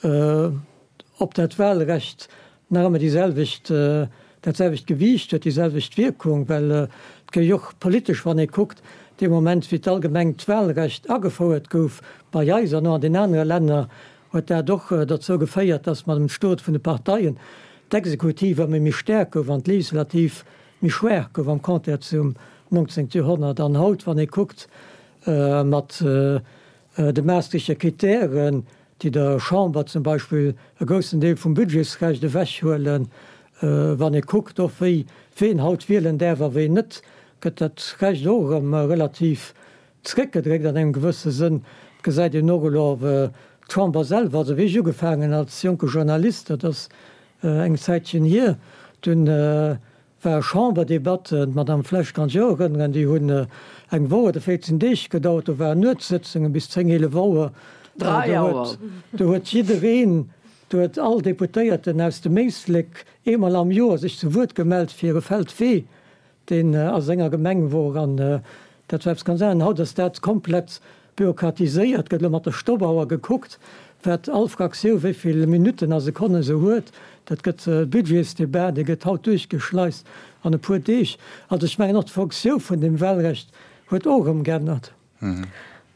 ob dat Wahlrecht nach ëmmer déi selwecht, dat selwecht Gewiicht huet, déi selwecht Wierkung, well et gëtt jo och politesch, wann ee kuckt, dee Moment wéi d'allgemengt Wahlrecht agefouert gouf bei eis an och an den anere Länner, huet dat och dozou geféiert, dass mat dem Stot vun de Parteien d'Exekutiv ëmmer méi staark gouf an d'Legislativ méi schwaach gouf am Contraire zum 19. Joerhonnert. An haut, wann ee kuckt mat de Maastrichter Kritären, déi der Chamber zum Beispill e groussen Deel vum Budgetsrecht ewechhuelen, wann ee kuckt och wéi ween haut wielen däerf a ween net, gëtt dat Recht och erëm relativ Zréckgedréckt an engem gewësse Sënn. Et gesäit een och elo d'Chamber selwer. Also wéi ech ugefaangen als jonke Journalist, dat ass eng Zäitchen hier, dunn ware Chamberdebatten, d'Madame Flesch kann sech och erënneren, déi hunn eng Woch oder 14 Deeg gedauert, do waren Nuetssëtzungen bis 10, 11 Auer. Do huet jiddereen, do huet all Deputéierten aus dem Éislek eemol am Joer sech zu Wuert gemellt fir e Feld Wee deen a senger Gemeng wor an dat war eppes ganz anescht. Haut ass dat komplett bürokratiséiert, gëtt elo mat der Stoppauer gekuckt, wat all Fraktiou wéi vill Minutten a Sekonnen se huet. Dat gëtt Budgetsdebat, dee gëtt haut duerchgeschleist an e puer Deeg. Also ech mengen och d'Fonctioun vun dem Wahlrecht huet och erëm geännert.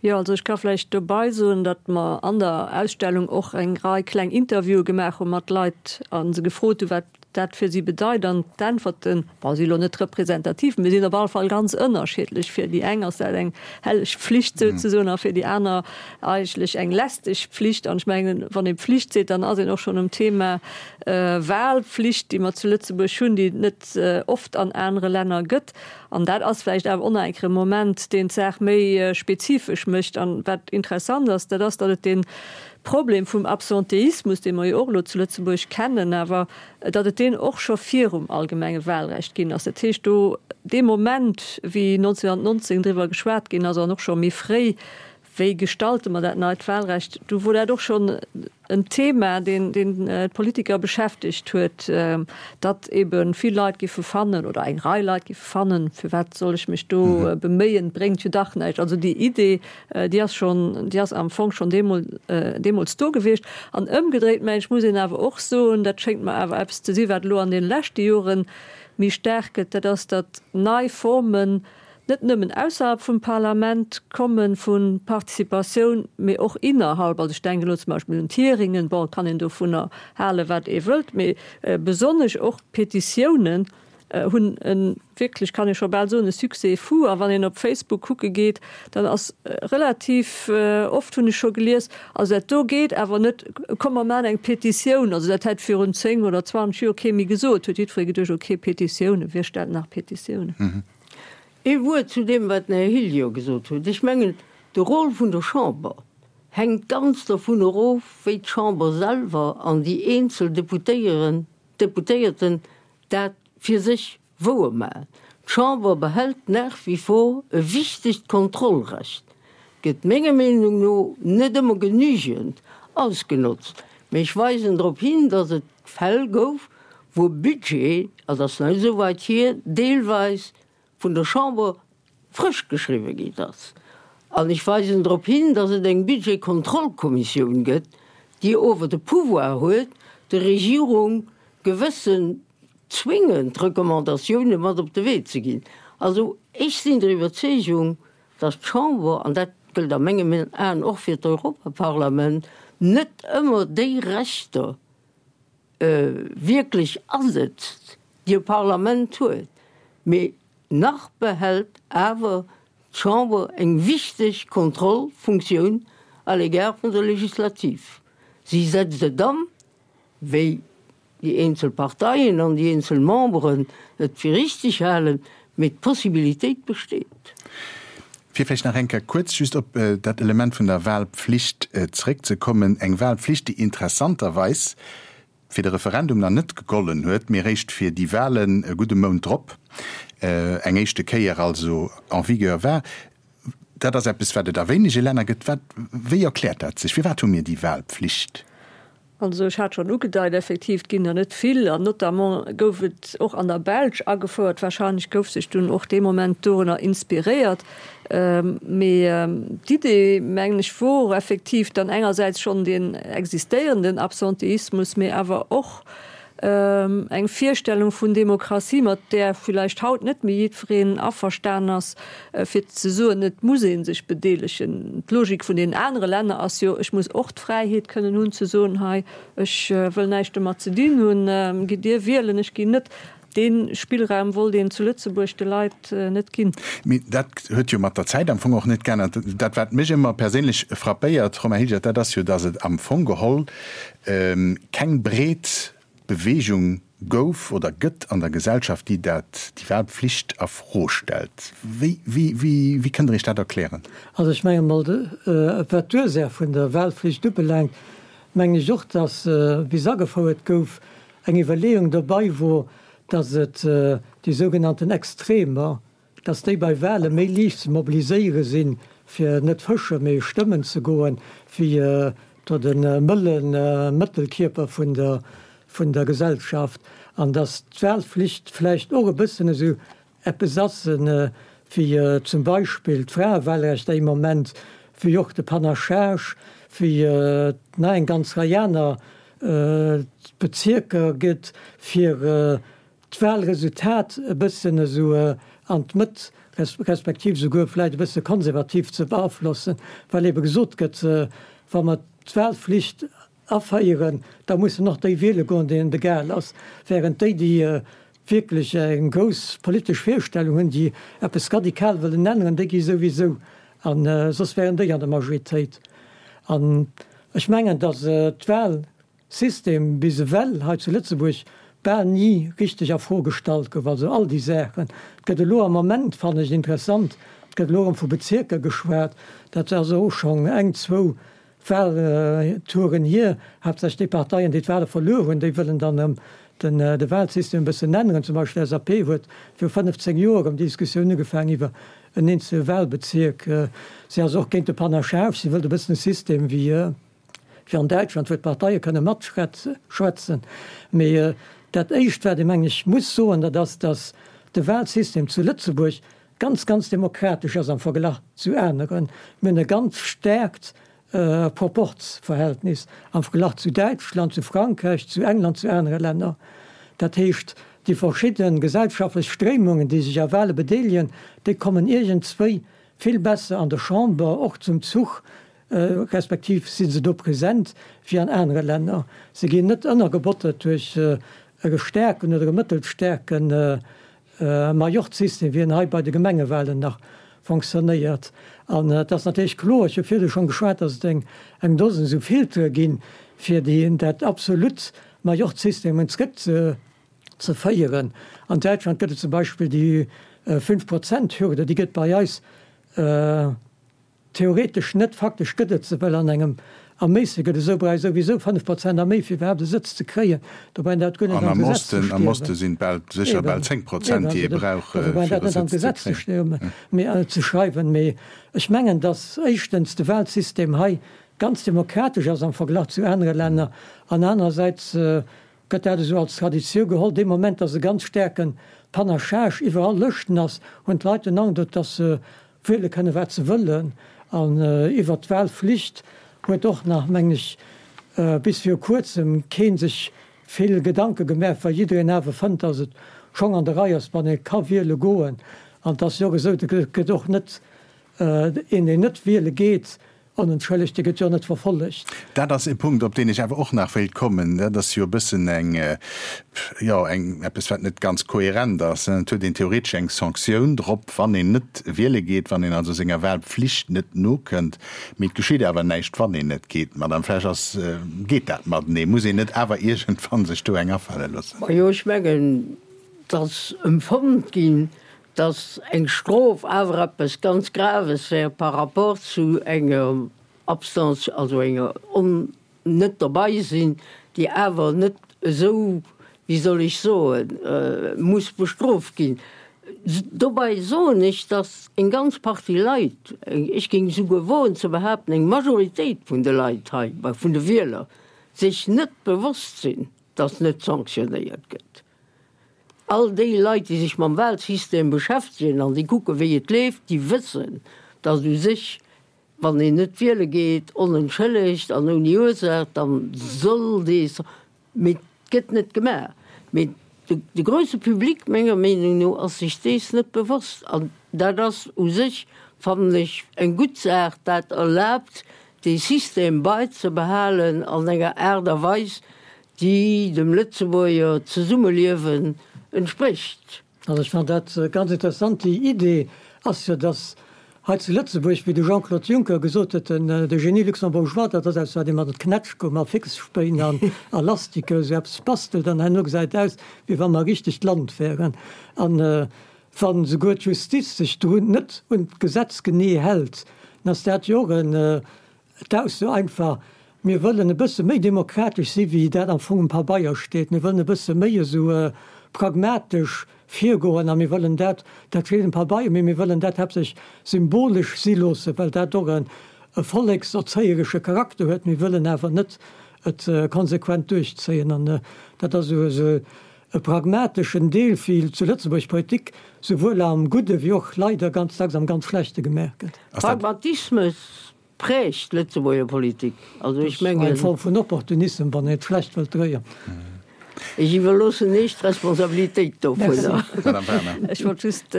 Jo, also ech ka vläicht dobei soen, datt mer an der Ausstellung och eng Rei kleng Interviewe gemaach hu mat Leit a se gefrot hu wat dat fir si bedeit. An d'Äntwerten, bon, si elo net representativ, mee sinn op alle Fall ganz ënnerschiddlech. Fir déi eng ass dat eng helleg Pflicht souzesoen a fir déi aner eigentlech eng lästeg Pflicht. An ech mengen, wann ee Pflicht seet, dann ass een och schonn um Thema Wahlpflicht, déi mer zu Lëtzebuerg hunn, déi et net oft an anere Länner gëtt. An dat ass vläicht awer och nach eng Kéier e Moment, deen d'Saach méi spezifesch mécht. An wat interessant ass, dat ass, datt et dee Problem vum Absenteismus, dee mer jo och elo zu Lëtzebuerg kennen, awer datt et deen och scho virum allgemenge Wahlrecht ginn ass. Dat heescht, do dee Moment, wéi 1919 driwwer geschwat ginn ass an och scho méi fréi, Wéi gestalte mer dat neit Wahlrecht? Do wor dat och schonn en Thema, deen d'Politiker beschäftegt huet, datt ebe vill Leit giffe fannen oder eng Rei Leit giffe fannen, firwat soll ech mech do beméien, bréngt jo dach näischt. Also déi Idee, déi ass schonn, déi ass am Fong schonn deemools do gewiescht. An ëmgedréit, mengen ech, muss een awer och soen, dat schéngt mer awer eppes ze si wat elo an deene leschte Jore méi staark gëtt, dat ass, datt nei Formen, net nëmmen ausserhalb vum Parlament komme vu Participatioun, mee och innerhalb. Also ech denken elo zum Beispill un d'Hearingen, bon, et kann een dovunner halen, wat ee wëllt, mee besonnesch och d'Petitiounen hunn e wierklech, kann ee scho bal soen, e Succès fou. A wann een op Facebook kucke geet, dann ass relativ oft, hunn ech scho gelies, also dat do geet awer net, komm mer maachen eng Petitioun. Also dat hätt virun 10 oder 20 Joer kee méi gesot, huet jiddweree geduecht, okay, Petitiounen, wie stellt nach Petitiounen? Ee Wuert zu deem, wat den Här Hillier gesot huet. Ech mengen, de Rôle vun der Chamber hänkt ganz dervun erof, wéi d'Chamber selwer an déi eenzel Deputéieren, Deputéierten dat fir sech wouermaachen. D'Chamber behält nach wie vor e wichtegt Kontrollrecht, gëtt menger Meenung no net ëmmer genügend ausgenotzt, mee ech weisen drop hin, dass et Fäll gouf, wou e Budget, et ass nach net esou weit hier, deelweis vun der Chamber frësch geschriwwe ginn ass. An ech weisen drop hin, dass et eng Budgetkontrollkommissioun gëtt, déi ower de Pouvoir huet, der Regierung gewëssen zwingend Recommandatioune mat op de Wee ze ginn. Also ech sinn der Iwwerzeegung, dass d'Chamber, an dat gëllt a mengen Aen och fir d'Europaparlament, net ëmmer déi Rechter wierklech asetzt, déi e Parlament huet, mee nach behält awer d'Chamber eng wichteg Kontrollfunktioun à l'égard vun der Legislativ. Si setzt et an, wéi déi eenzel Parteien an déi eenzel Memberen et fir richtig halen, mee d'Possibilitéit besteet. Fir vläicht nach eng Kéier kuerz just op dat Element vun der Wahlpflicht zréckzekommen, eng Wahlpflicht, déi interessanterweis fir de Referendum nach net gegollen huet, mee eréischt fir déi Wahlen e gudde Mount drop eng éischte Kéier also en vigueur war. Dat ass eppes, wat et a wéinege Länner gëtt. Wat, wéi erkläert dat sech? Firwat hu mir déi Wahlpflicht? Also ech hat schonn ugedeit, effektiv, et ginn der net vill an notamment gouf et och an der Belsch agefouert. Wahrscheinlech gouf sech dunn och dee Moment dorunner inspiréiert. Mee d'Idee, mengen ech, wor effektiv dann engersäits schonn deen existéierenden Absenteismus, mee awer och eng Virstellung vun Demokratie, mat där villäicht haut net méi jiddwereen averstan ass, fir ze soen, et muss ee sech bedeelegen. D'Logik vun deenen anere Länner ass jo, ech muss och d'Fräiheet kënnen hunn ze soen, hei, ech wëll näischt domat ze dinn hunn, gitt Dir wielen, ech ginn net. Dee Spillraum wollt een zu Lëtzebuerg de Leit net ginn. Mee dat huet jo mat der Zäit am Fong och net geännert. Dat, wat mech ëmmer perséinlech frappéiert, Romain Hilgert, dat ass jo, datt et am Fong geholl keng breet Beweegung gouf oder gëtt an der Gesellschaft, déi dat, déi Wahlpflicht a Fro stellt. Wéi, wéi, wéi, wéi kënnt Der Iech dat erklären? Also ech menge mol, wat d'Ursaach vun der Wahlpflicht ubelaangt, mengen ech och, dass, wéi se agefouert gouf, eng Iwwerleeung dobei wor, dass et déi sougenannten Extremer, dass déi bei Wahle méi liicht ze mobiliséiere sinn, fir net fësche mee stëmmen ze goen, wéi do de mëlle Mëttelkierper vun der vun der Gesellschaft, an dass d'Wahlflicht vläicht och e bëssen esou eppes ass wéi zum Beispill d'Fraewahlrecht déi Moment, wéi och de Panachage, wéi nach eng ganz Rei aner Bezierker gëtt, fir d'Wahlresultat e bëssen esou an d'Mëtt, respektiv esouguer vläicht e bësse konservativ ze beaflossen, well ebe gesot gëtt, wa mer d'Wahlflicht aféieren, da mussen och déi wiele goen, deenen et egal ass, während déi, déi wierklech eng grouss politesch Virstellung hunn, déi eppes radikal wëllen änneren, déi gi souwisou, a soss wären déi an der Majoritéit. An ech mengen, datt d'Wahl System bis ewell hei zu Lëtzebuerg bal ni richteg a Fro gestallt gouf. Also all déi Saachen. Et gëtt elo am Moment, fannen ech interessant, et gëtt elo erëm vu Bezierker geschwat, dat ass och schonn eng, zwou Wahltouren hier. Haaptsächlech déi Parteien, déi d'Wahle verluer hunn, déi wëllen dann erëm den de Wahlsystem e bëssen änneren. Zum Beispill d'LSAP huet viru 15 Joer erëm déi Diskussioun ugefaangen iwwer en eenzele Wahlbezierk. Si ass och géint de Panachage, si wëllt e bëssen e System wéi, wéi an Däitschland, wou d'Parteie kënne matschwätzen. Mee dat Éischt, wat ee, mengen ech, muss soen, dat ass, datt de Wahlsystem zu Lëtzebuerg ganz, ganz demokratesch ass am Verglach zu aneren. Mir hunn e ganz staarkt Proporzverhältnis am Verglach zu Däitschland, zu Frankräich, zu England, zu anere Länner. Dat heescht, déi verschidde gesellschaftlech Stréimungen, déi sech a Wahle bedeelegen, déi kommen iergendswéi vill besser an der Chamber och zum Zuch, respektiv si se do present wéi an anere Länner. Se ginn net ënnergebottert duerch e staarken oder e mëttelstaarke Majorzsystem, wéi en hei bei de Gemengewahlen nach fonctionnéiert. An et ass natierlech kloer, ech hu virdu schonn geschwat, datt et eng eng Dosen esou Filtere ginn, fir déi dat absolut Majorzsystem erëm zrëck ze ze féieren. An Däitschland gëtt et zum Beispill déi Fünf-Prozent-Hürde, déi gëtt bei eis Theoretesch net, faktesch gëtt et se, well an engem Erméisse gëtt esou brauch ee souwisou 5 Prozent a méi fir iwwerhaapt e Sëtz ze kréien. Dobäi dat guer net An am am Gesetz ze Osten, am stierwen. Oste sinn et bal, sécher Eben, bal 10 eben, Prozent, déi also ee do, brauch, dofir brauch een fir dat e net an Sëtz ze d'Gesetz ze kréien. stierwen, mee ze schreiwen. Mee ech mengen, datt éischtens de Wahlsystem hei ganz demokratesch ass am Verglach zu anere Länner an anerersäits gëtt dat esou als Traditioun geholl. Dee Moment, datt e ganz staarke Panachage iwwer all Lëschten ass, hunn d'Leit den Androck, datt se wiele kënnen, wat se wëllen. An iwwert d'Wahlflicht huet och nach, mengen ech, bis viru Kuerzem kee sech vill Gedanke gemaach, well jiddereen awer fënnt, datt et schonn an der Rei ass, wann ee ka wiele goen. An et ass jo och esou, et gëtt och net een, deen net wiele geet, Onentschëllegt, dee gëtt jo net verfollegt. Dat ass e Punkt, op deen ech awer och nach wéilt kommen. Dat ass jo e bëssen eng, jo, eng, eppes, wat net ganz kohärent ass. Et huet een theoretesch eng Sanktioun drop, wann een net wiele geet, wann een also senger Wahlpflicht net nokënnt. Mee et geschitt awer näischt, wann een net geet. Madame Flesch, ass, geet dat matenee? Muss een net awer iergendwann sech do eng afale loossen? Majo, ech mengen, et ass emfonnt ginn, dass eng Strof awer eppes ganz Graves wär par rapport zu enger Absence, also enger on net dobei sinn, déi awer net esou, wéi soll ech soen, muss bestrooft ginn. Dobei soen ech, dass eng ganz Partie Leit, ech géing esouguer woen ze behaapten, eng Majoritéit vun de Leit hei, vun de Wieler. sech net bewosst sinn, dass net sanktionéiert gëtt. All déi Leit, déi sech mam Wahlsystem beschäftegen an déi kucken, wéi et leeft, déi wëssen, dass u sech, wann een net wiele geet, onentschëllegt an ouni Ursaach, da soll dee, mee et gëtt net gemaach. Mee de grouse Public, menger Meenung no, ass sech dees net bewosst. An dat ass u sech, fannen ech, eng gutt Saach. Dat erlaabt, dee System baizebehalen an enger Aart a Weis, déi dem Lëtzebuerger Zesummeliewen entsprécht. Also ech fannen dat ganz interessant. Déi Idee ass jo, datt hei zu Lëtzebuerg, wéi de Jean-Claude Juncker gesot huet, den de Génie luxembourgeois, dat ass eppes wat ee mat Knätschgomm a Fixspéin an a Lastike esou eppes bastelt an herno gesäit aus, wéi wa mer e richtegt Land wären. An wa souguer d'Justiz sech drun net un d'Gesetz genee hält, dann ass dat jo och en D'Ausso einfach, Mir wëllen e bësse méi demokratesch si wéi dat am Fong um Pabeier steet. Mir wëllen e bësse méi esou pragmatesch virgoen a mir wëllen dat, dat steet um Pabeier, mee mir wëllen dat haaptsächlech symbolesch si loossen, well dat och e vollékserzéieresche Charakter huet. Mir wëllen awer net et konsequent duerchzéien. An dat ass esou e pragmateschen Deel wéi zu Lëtzebuerg Politik souwuel am Gudde wéi och leider ganz dacks am ganz Schlechte gemaach gëtt. Pragmatismus prägt d'Lëtzebuerger Politik. Also ech mengen. Eng Form vun Opportunissem, wann een et schlecht wëllt dréien. Ech iwwerloossen Iech d'Responsabilitéit dovunner. Madame Werner. Ech wollt just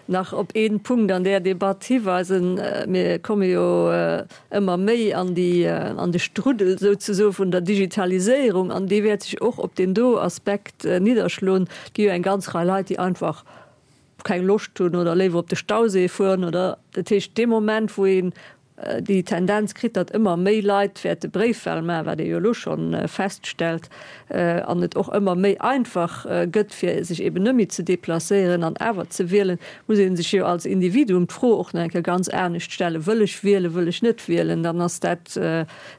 nach op ee Punkt an där Debatt hiweisen. Mir komme jo ëmmer méi an déi, an de Struddel souzesoe vun der Digitaliséierung, an dee wäert sech och op deen do Aspekt nidderschloen. Et gi jo eng ganz Rei Leit, déi einfach keng Loscht hunn oder léiwer op de Stauséi fueren oder dat heescht dee Moment wou een déi Tendenz kritt, datt ëmmer méi Leit wäerte Bréifwahl maachen, wat ee jo elo scho feststellt, an et och ëmmer méi einfach gëtt fir sech eben net méi ze deplacéieren an awer ze wielen, muss ee sech jo als Individuum d'Fro och nach eng Kéier ganz anescht stellen, wëll ech wielen, wëll ech net wielen? Dann ass dat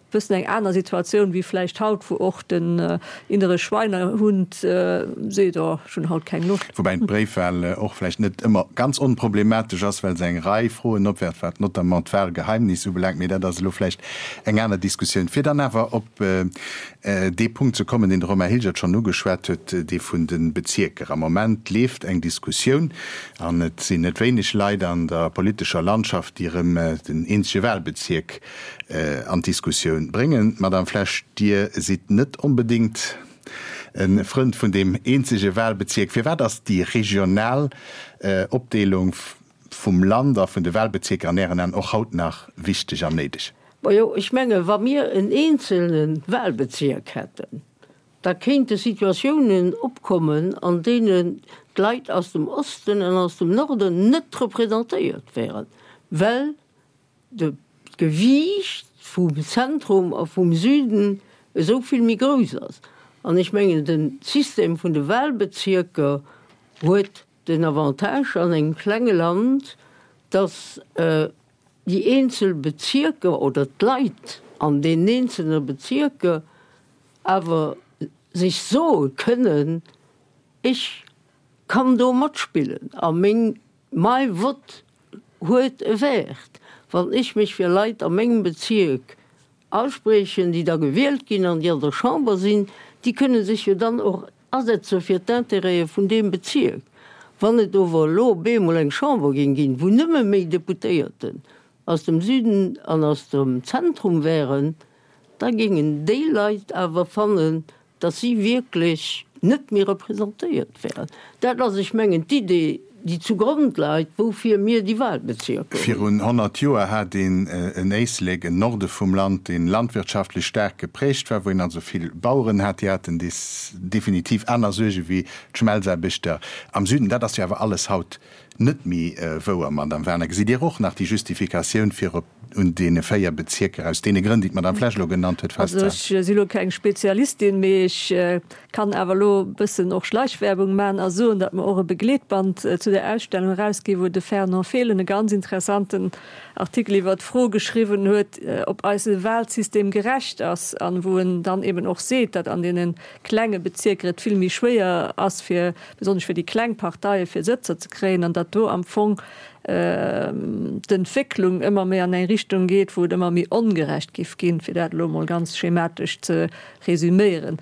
bëssen eng aner Situatioun wéi vläicht haut, wou och den innere Schweinehund seet, oh, ech hunn haut keng Loscht. Woubäi d'Bréifwahl och vläicht net ëmmer ganz onproblematesch ass, well se eng Rei Froen opwerft, wat notamment d'Wahlgeheimnis ubelaangt. Mee dat ass elo vläicht eng aner Diskussioun. Fir dann awer op dee Punkt ze kommen, deen de Romain Hilgert schonn ugeschwat huet, dee vun de Bezierker. Am Moment leeft eng Diskussioun, an et sinn net wéineg Leit an der politescher Landschaft, déi erëm den eenzege Wahlbezierk an d'Diskussioun bréngen. Madame Flesch, Dir sidd net onbedéngt e Frënd vun deem eenzege Wahlbezierk. Firwat ass déi regional Opdeelung vum Land a vun de Wahlbezierker an Ären Aen och haut nach wichteg an néideg? Majo, ech menge wa mir en eenzelne Wahlbezierk hätten, da kéinte Situatiounen opkommen, an deenen d'Leit aus dem Osten an aus dem Norden net representéiert wären, well d'Gewiicht vum Zentrum a vum Süden esou vill méi grouss ass. An ech mengen, de System vun de Wahlbezierker huet den Avantage an engem klenge Land, dass déi eenzel Bezierker oder d'Leit an deenen eenzelne Bezierker awer sech soe kënnen, Ech kann do matspillen a meng Mai Vott huet e Wäert, wann ech mech fir Leit a mengem Bezierk ausspriechen, déi da gewielt ginn an déi an der Chamber sinn, déi kënne sech jo dann och asetze fir d'Intérêtë vun deem Bezierk. Wann et ower elo op eemol eng Chamber géing ginn, wou nëmme méi Deputéierten aus dem Süden an aus dem Zentrum wären, da géingen déi Leit awer fannen, dass si wierklech net méi representéiert wären. Dat ass, ech mengen, d'Idee, déi zugrond läit, woufir mir déi Wahlbezierker hunn. Virun 100 Joer hat een en Éislek, en Norde vum Land, dee landwirtschaftlech staark geprägt war, wou een also vill Baueren hat. Déi haten definitiv aner Suerge wéi d'Schmelzaarbechter am Süden. Dat ass jo awer alles haut net méi wouer, Madamm Werner. Gesitt Dir och nach déi Justifikatioun fir op un deene 4 Bezierker, aus deene Grënn, déi d'Madamm Flesch elo genannt huet, Also festzehalen? ech si elo keng Spezialistin, mee ech kann awer elo e bëssen och Schleichwerbung maachen a soen, datt mer och e Begleetband zu der Ausstellung erausginn, wou de Fernand Fehlen e ganz interessanten Artikel iwwert d'Fro geschriwwen huet, ob eise Wahlsystem gerecht ass an wou en dann eben och seet, datt an deene klenge Bezierker et vill méi schwéier ass, fir besonnesch fir déi kleng Parteie fir Sëtzer ze kréien an datt do am Fong. d'Entwécklung ëmmer méi an eng Richtung geet, wou et ëmmer méi ongerecht giff ginn, fir dat elo emol ganz schematesch ze resüméieren.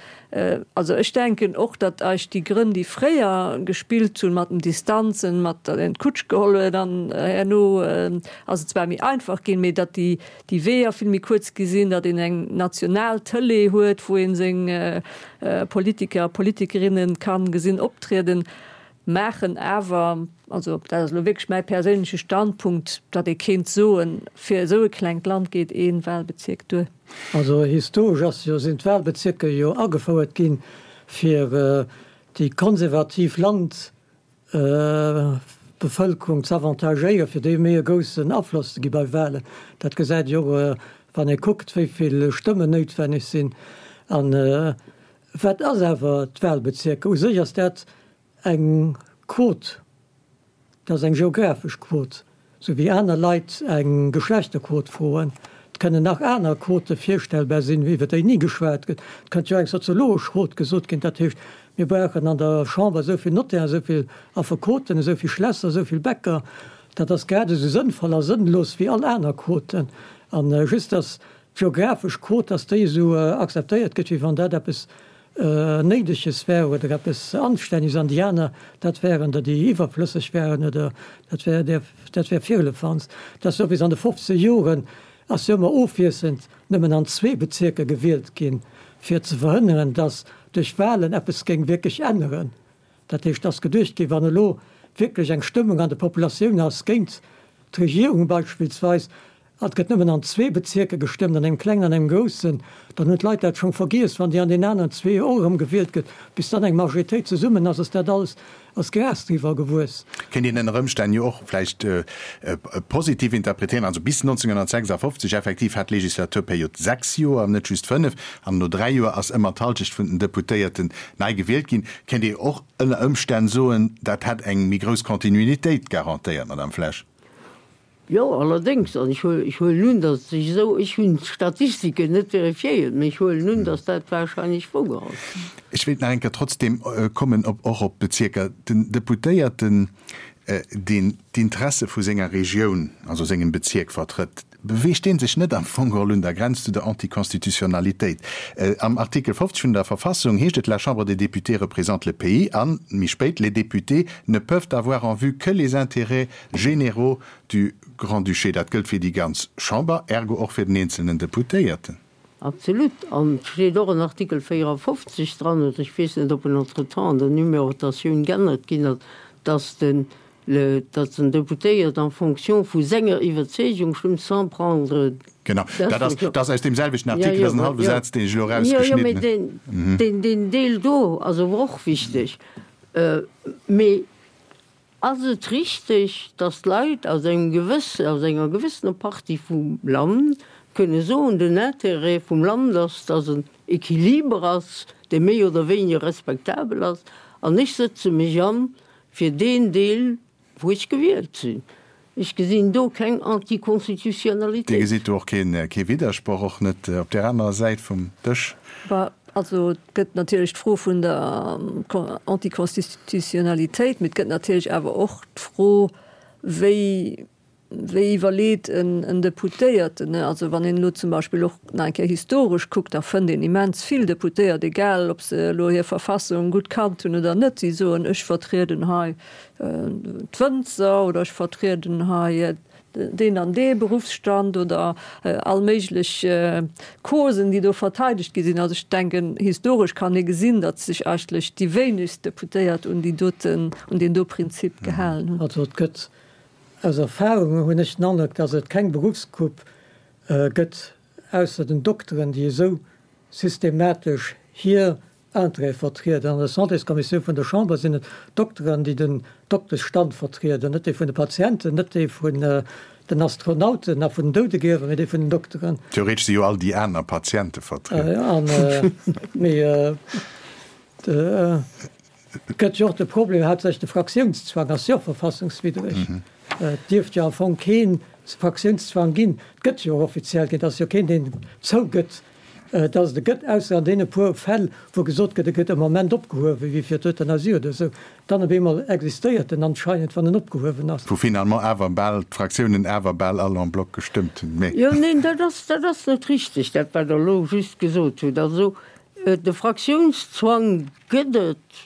Also ech denken och, datt eis déi Grënn, déi fréier gespillt hunn, mat den Distanzen, mat datt een d'Kutsch geholl huet an herno ass et zwar méi einfach ginn, mee datt déi déi Weeër vill méi kuerz gi sinn, datt een eng national Tëlee huet, wou ee seng Politiker a Politikerinnen kann gesinn optrieden, maachen awer, also dat ass elo wierklech mäi perséinleche Standpunkt, datt ee kéint soen, fir esou e klengt Land geet ee Wahlbezierk duer. Also historesch ass jo, sinn d'Wahlbezierker jo agefouert ginn, fir déi konservativ Landbevëlkerung ze avantagéieren, fir déi méi e groussen Afloss ze gi bei Wahlen. Dat gesäit ee jo och, wann ee kuckt, wéi vill Stëmmen noutwenneg sinn. An Wat ass awer d'Wahlbezierker? U sech ass dat eng Quot, dat ass eng geographesch Quot, sou wéi aner Leit eng Geschlechterquot froen. Et kënnen nach aner Quote virstellbar sinn, iwwer déi ni geschwat gëtt. Et kënnt jo eng soziologesch Quot gesot ginn, dat heescht, mir brauchen an der Chamber esou vill Notairen, esou vill Affekoten, esou vill Schlässer, esou vill Bäcker. Dat ass grad esou sënnvoll a sënnlos wéi all aner Quoten. A just datt D'geographesch Quot, dass déi esou akzeptéiert gëtt, wéi wann dat eppes Néideges wär oder eppes Anstänneges, an déi aner, dat wären der, déi iwwerflësseg wären oder dat wär där, dat wär Firlefanz. Dat ass jo bis an de fofzeger Joren ass jo ëmmer ofwiesselnd nëmmen an zwee Bezierker gewielt ginn, fir ze verhënneren, dass duerch Wahlen eppes géing wierklech änneren. Dat heescht, et ass geduecht ginn, wann elo wierklech eng Stëmmung an der Populatioun ass géint d'Regierung beispillsweis, an et gëtt nëmmen an zwee Bezierker gestëmmt, an engem klengen an engem groussen, dann hunn d'Leit dat schonn vergiess, wann déi an den aneren zwee och erëm gewielt gëtt, bis dann eng Majoritéit zesummen ass, ass dat alles ass Gras driwwer gewuess. Kéint een ënner Ëmstänn jo och vläicht positiv interpretéieren, also bis 1956 effektiv hat d'Legislaturperiod sechs Joer, net just fënnef, an no dräi Joer ass ëmmer d'Halschecht vun den Deputéierten nei gewielt ginn. Kéint ee och ënner Ëmstänn soen, dat hätt eng méi grouss Continuitéit garantéiert, Madame Flesch? Jo, allerdéngs, an ech huelen un, datt et sech esou, ech hunn d'Statistiken net vérifiéiert, mä ech huelen un, datt dat wahrscheinlech wouer ass. Ech wéilt nach eng Kéier trotzdem kommen op och op d'Bezierker. Den Deputéierten, deen d'Interesse vu senger Regioun, also sengem Bezierk vertrëtt, beweegt dee sech net am Fong geholl un der Grenz zu der Anticonstitutionnalitéit? Am Artikel 50 vun der Verfassung heescht et, La Chambre des députés représente le pays an, méi spéit, Les députés ne peuvent avoir en vue que les intérêts généraux du Grand-Duché. Dat gëllt fir déi ganz Chamber, ergo och fir den eenzelnen Deputéierten. Absolut. An et steet och en Artikel 54 dran, oder ech weess net, ob en entretemps an der Numérotatioun geännert ginn ass, dass den, dass den Deputéiert en fonction vu senger Iwwerzeegung stëmmt, sans prendre Genau, dat ass, dat ass aus deem selwechten Artikel, dat ass en hallwe Saz, deen ech elo erausgeschnidden hunn. Jo, jo, mee deen, deen Deel do ass awer och wichteg. Mee Ass et richteg, datt d'Leit aus engem gewësse, aus enger gewëssener Partie vum Land kënne soen, den Intérêt vum Land ass, datt en Equiliber ass, dee méi oder wéiniger respektabel ass, an ech sëtze mech an fir deen Deel, wou ech gewielt sinn. Ech gesinn do keng Anticonstitutionnalitéit. Dir gesitt do och kee Widdersproch, och net op där anerer Säit vum Dësch? Also et gëtt natierlech d'Fro vun der Anticonstitutionnalitéit, mee et gëtt natierlech awer och d'Fro, wéi, wéi iwwerleet en Deputéierten. Also wann een elo zum Beispill och nach eng Kéier historesch kuckt, da fënnt een immens vill Deputéiert, egal ob se elo hir Verfassung gutt kannt hunn oder net, déi soen, ech vertrieden hei d'Wënzer oder ech vertrieden hei deen an dee Beruffsstand oder all méiglech Causen, déi do verteidegt gi sinn. Also ech denken, historesch kann ee gesinn, datt sech eigentlech déi wéinegst Deputéiert un déi doten, un deen do Prinzip gehalen hunn. Also et gëtt, aus Erfahrung hunn ech den Androck, datt et keng Beruffsgrupp gëtt, ausser den Dokteren, déi esou systematesch hir Intérêt vertrieden. An der Santéskommissioun vun der Chamber sinn et d'Dokteren, déi den Dokteschstand vertrieden, net déi vun de Patienten, net déi vun den Astronauten a vun den Doudegriewer, mee déi vun den Dokteren. Theoretesch si jo all déi aner Patiente vertrieden. Mee et gëtt jo och de Problem, haaptsächlech de Fraktiounszwang ass jo verfassungswiddreg. Et dierft jo am Fong kee Fraktiounszwang ginn. Et gëtt jo och offiziell keen. Et ass jo keen, deen zougëtt. Dass et e gëtt, ausser an deene puer Fäll, wou gesot gëtt, e gëtt am Moment opgehuewen, wéi fir d'Euthanasie oder esou, dann op eemol existéiert en anscheinend, wann en opgehuewen ass. Wou finalement awer bal d'Fraktiounen awer bal all en bloc gestëmmt hunn. Mee. Jo, neen, dat ass, dat ass net richtig, dat wat Der elo just gesot hutt. Also, de Fraktiounszwang gëtt et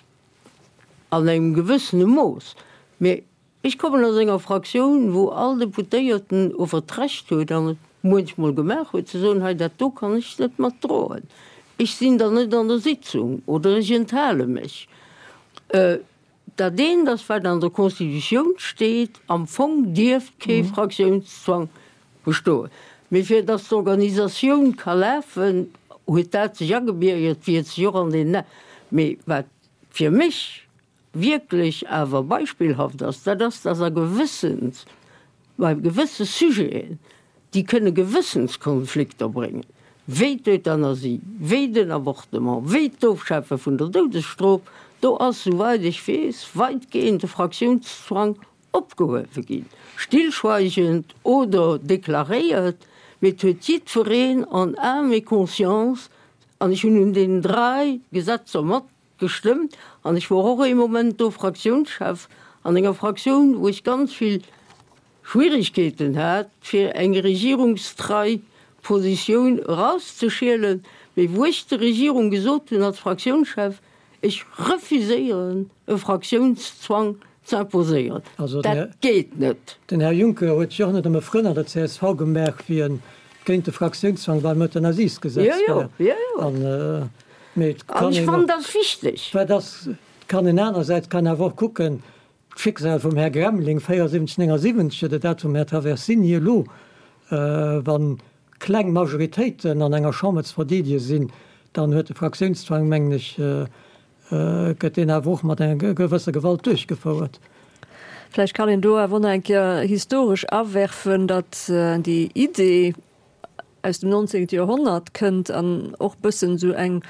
an engem gewëssene Mooss, mee Ech kommen aus enger Fraktioun, wou all Deputéierten ower d'Recht huet, an et muenchmol gemaach huet, ze soen, hei dat do kann ech net mat droen, ech sinn dann net an der Sitzung oder ech enthale mech. Dat eent ass, wat an der Constitutioun steet, am Fong dierft kee Fraktiounszwang bestoen. Mee fir datt d'Organisatioun ka lafen, huet dat sech agebiergert, wéi et sech och an den, mee wat fir mech wierklech awer beispillhaft ass, dat ass, dass a gewëssens, bei gewësse Sujeten, déi kënne Gewëssenskonflikter bréngen, wéi d'Euthanasie, wéi den Avortement, wéi d'Ofschafe vun der Doudesstrof, do ass, souweit ech weess, weitgehend de Fraktiounszwang opgehuewe ginn, stillschweigend oder deklaréiert, mee et huet jiddwereen en âme et conscience, an ech hunn un deenen drai Gesetzer mat Gestëmmt an ech wor och ee Moment do Fraktiounschef an enger Fraktioun, wou ech ganz vill Schwierigkeeten hat, fir eng regierungstrei Positioun erauszeschielen, mee wou ech der Regierung gesot hunn als Fraktiounschef, ech refuséieren e Fraktiounszwang ze imposéieren. Dat geet net. Den Här Juncker huet sech och net ëm e Frënn an der csv gemaach, wéi en géint de Fraktiounszwang beim Euthanasiesgesetz war. An Mee et kann An ech een fannen, och, dat ass wichteg. wat ass, et kann een anersäits kann awer och kucken, d'Schicksal vum Här Gremling 74, 79 oder dat vum Här Traversini elo, wa kleng Majoritéiten an enger Chamber ze verdeedege sinn, dann huet de Fraktiounszwang, mengen ech, gëtt deen awer och mat enger gewësser Gewalt duerchgefouert. Vläicht kann een do awer och nach eng Kéier historesch awerfen, datt déi Idee, aus dem 19. Joerhonnert kënnt an och bëssen esou eng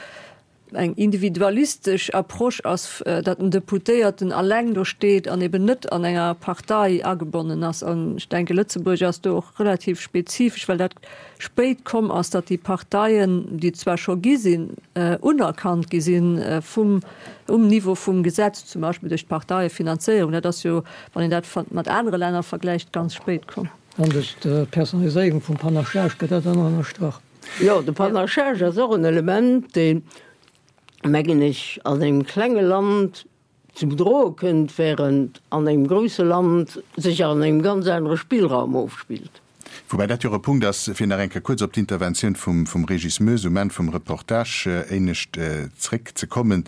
eng individualistesch Approche ass, datt den Deputéierten alleng do steet an eben net an enger Partei agebonnen ass. An ech denke Lëtzebuerg ass do och relativ spezifesch, well dat spéit komm ass, datt déi Parteien, déi et zwar scho gi sinn, unerkannt gi sinn vum um Niveau vum Gesetz, zum Beispill duerch d'Parteiefinanzéierung. Dat ass jo, wann een dat mat anere Länner vergläicht, ganz spéit komm. An duerch d'Personaliséierung vum Panachage gëtt dat dann och ënnerstrach. Jo, de Panachage ass och en Element, deen, mengen ech, an engem klenge Land zum Droe kënnt, während an engem grousse Land sech an engem ganz anere Spillraum ofspillt. Woubäi dat jo och e Punkt ass, fir nach eng Kéier kuerz op d'Interventioun vum Régis Moes um Enn vum Reportage éinescht zréckzekommen.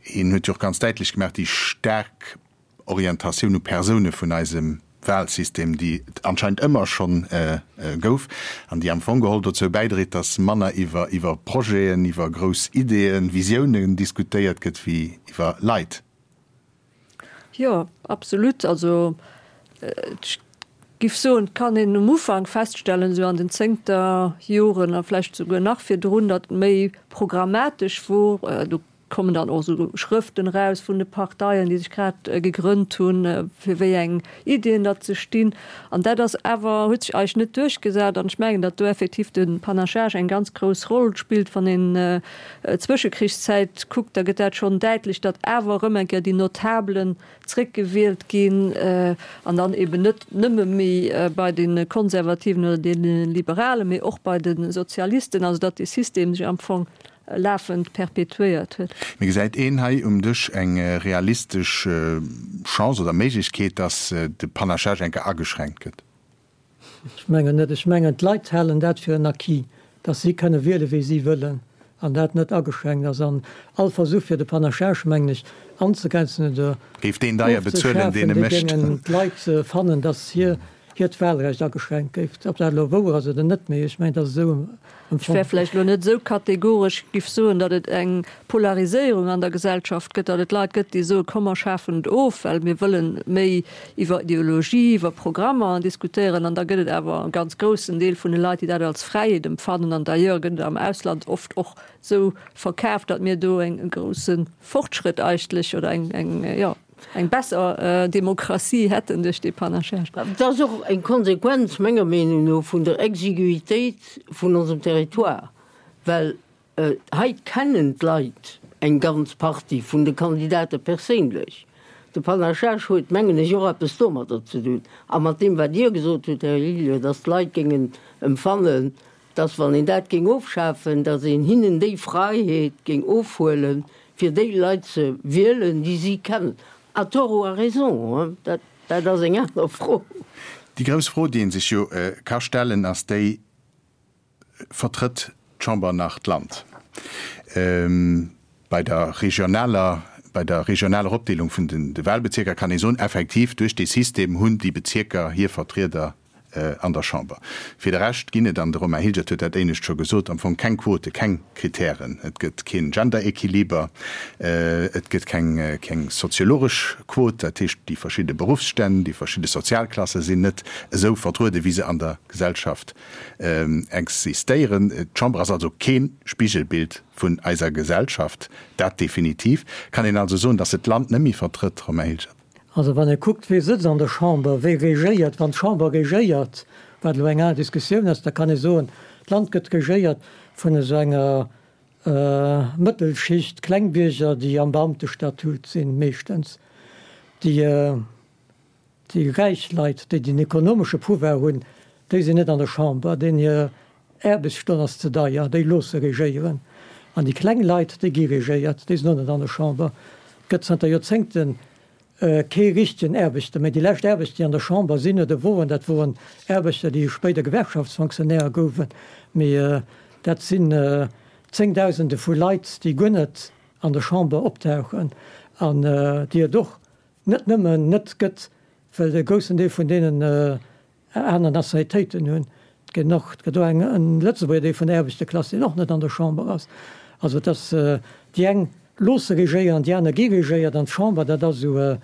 Hien huet jo och ganz däitlech gemaach, déi staark Orientatioun u Persoune vun eisem Wahlsystem, déi et anscheinend ëmmer schonn gouf an déi am Fong geholl dozou bäidréit, datt manner iwwer iwwer Projeten, iwwer grouss Ideeën, Visiounen diskutéiert gëtt wéi iwwer Leit. Jo, absolut. Also ech giff soen, et kann een um Ufank feststellen, esou an den zéngter Joren a vläicht souguer nach virdrun, datt et méi programmatesch wor. Do kommen dann och esou Schrëften eraus vun de Parteien, déi sech grad gegrënnt hunn, fir wéi eng Iddien datt se stinn. An dat ass awer, huet sech eigentlech net duerchgesat. An ech mengen, datt do effektiv de Panachage eng ganz grouss Roll spillt. Wann een d'Zwëschekrichszäit kuckt, da gëtt dat schonn däitlech, datt awer erëm eng Kéier déi Notabelen zréckgewielt ginn an dann eben net nëmme méi bei de Konservativen oder de Liberalen, mee och bei de Sozialisten, also datt dee System sech am Fong lafend perpetuéiert huet. Mee gesäit een hei um Dësch eng realistesch Chance oder Méiglechkeet, datt de Panachage eng Kéier ageschränkt gëtt? Ech mengen net. Ech mengen, d'Leit halen dat fir en Acquis, datt si kënne wiele wéi si wëllen an dat net ageschränkt ass. An all Versuch fir de Panachage, mengen ech, anzegrenzen oder Géif deen deier bezuelen, ofzeschafen, deen e dee mécht. géingen d'Leit fannen, datt hir hiert Wahlrecht ageschränkt géif. Ob dat elo wouer ass oder net, mee ech mengen, dat ass esou Ech wär empfonnt. vläicht elo net esou kategoresch, giff soen, datt et eng Polariséierung an der Gesellschaft gëtt, datt et Leit gëtt, déi soen, komm mer schafen et of, well mir wëllen méi iwwer Ideologie, iwwer Programmer diskutéieren. An da gëtt et awer e ganz groussen Deel vun de Leit, déi dat als Fräiheet empfannen. An d'ailleurs gëtt et am Ausland oft och esou verkaaft, datt mir do e grousse Fortschrëtt eigentlech oder eng, eng, jo, eng besser Demokratie hätten duerch dee Panachage. Dat ass och eng Konsequenz, menger Meenung no, vun der Exiguïtéit vun onsem Territoire. Well hei kennen d'Leit eng ganz Partie vun de Kandidate perséinlech. De Panachage huet, mengen ech, och eppes domadder ze dun. A mat deem, wat Dir gesot hutt, Här Lillier, dass d'Leit géingen emfannen, dass, wann een dat géing ofschafen, dass een hinnen déi Freiheet géing ofhuelen, fir déi Leit ze wielen, déi si kennen. À tort ou à raison, dat, dat ass eng aner Fro. Déi grouss Fro, déi ee sech jo ka stellen, ass déi, Vertrëtt d'Chamber nach d'Land? Bei der regionaler, bei der regionaler Opdeelung vun de Wahlbezierker kann ee soen, effektiv, duerch dee System hunn déi Bezierker hir Vertrieder an der Chamber. Fir de Rescht ginn et, an de Romain Hilgert huet dat éinescht scho gesot, am Fong keng Quote, keng Kritären. Et gëtt keen Gender-Equiliber, et gëtt keng, keng soziologesch Quot, dat heescht déi verschidde Beruffsstänn, déi verschidde Sozialklasse sinn net esou vertruede wéi se an der Gesellschaft existéieren. D'Chamber ass also kee Spigelbild vun eiser Gesellschaft, dat definitiv. Kann een also soen, datt se d'Land net méi vertrëtt, Romain Hilgert? Also wann ee kuckt, wee sëtzt an der Chamber, wee regéiert, wann d'Chamber regéiert, wat elo eng aner Diskussioun ass, da kann ee soen, d'Land gëtt regéiert vun esou enger Mëttelschicht, Klengbierger, déi am Beamtestatut sinn, meeschtens, déi, Déi räich Leit, déi den ekonomesche Pouvoir hunn, déi sinn net an der Chamber, deenen hir Aarbechtsstonn ass ze deier, déi loosse regéieren. An déi kleng Leit, déi gi regéiert, déi sinn och net an der Chamber. Et gëtt zanter Joerzéngte kee richtegen Aarbechter méi. Déi lescht Aarbechter, déi an der Chamber sinn oder woren, dat woren Aarbechter, déi spéider Gewerkschaftsfonctionnaire gouwen. Mee dat sinn Zéngdausende vu Leit, déi guer net an der Chamber optauchen an déi et och net nëmmen net gëtt, well e groussen Deel vun deenen aner Nationalitéiten hunn. Et gëtt och, et gëtt och eng, en Lëtzebuerger, dee vun der Aarbechterklass, deen och net an der Chamber ass. Also et ass, déi eng loosse regéieren, déi aner gi regéiert an d'Chamber, dat ass esou e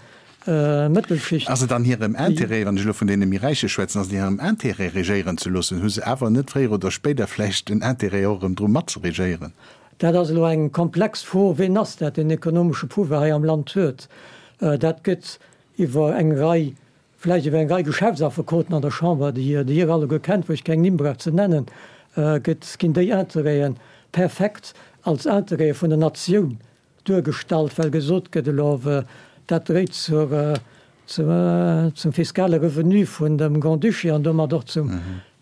Mëttelschicht. Ass et an hirem Intérêt, wann ech elo vun deene méi Räiche schwätzen, ass et an hirem Intérêt regéieren ze loossen? Hu se awer net fréier oder spéider vläicht en Intérêt och erëm dru matzeregéieren? Dat ass elo eng komplex Fro, Ween ass dat, deen ekonomesche Pouvoir hei am Land huet? Dat gëtt iwwer eng Rei, vläicht iwwer eng Rei Geschäftsaffekoten an der Chamber, déi Dir alleguer kennt, wou ech keng Nimm brauch ze nennen, gëtt, ginn déi Interêten perfekt als Interête vun der Natioun duergestallt, well gesot gëtt, elo dat dréit zur, zum fiskale Revenu vun dem Grand-Duché an domat och zum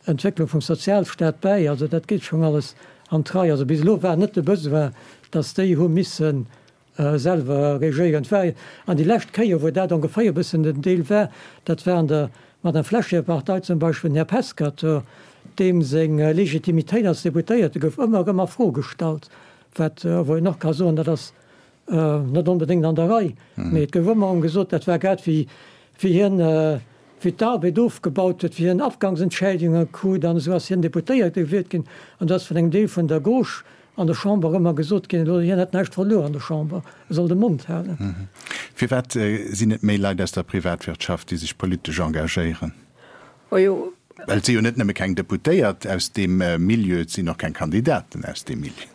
Entwécklung vum Sozialstaat bäi. Also dat geet schonn alles an d'Rei. Also bis elo war net de Besoin, datt déi hu misse selwer regéieren. Et war, an déi lescht Kéier, wou dat ongeféier e bëssen den Deel war, dat war an der Madame Flesch-hir Partei zum Beispill, den Här Pescator, deem seng Legitimitéit als Deputéierte gouf ëmmer erëm a Fro gestallt, wat, wou een och ka soen, dat ass net onbedéngt an der Rei, mee et gouf ëmmer erëm gesot, dat war grad wéi wéi hien, wéi d'Arbed ofgebaut huet, wéi hien Afgangsentschädigunge krut an esou ass hien Deputéierte gewielt ginn an do ass vun engem Deel vun der Gauche an der Chamber ëmmer gesot ginn, elo hien hätt näischt verluer an der Chamber, e soll de Mond halen. Firwat sinn et méi Leit aus der Privatwirtschaft, déi sech politesch engagéieren? Well et si jo net nëmme keng Deputéiert aus deem Milieu, et sinn och keng Kandidaten aus deem Milieu.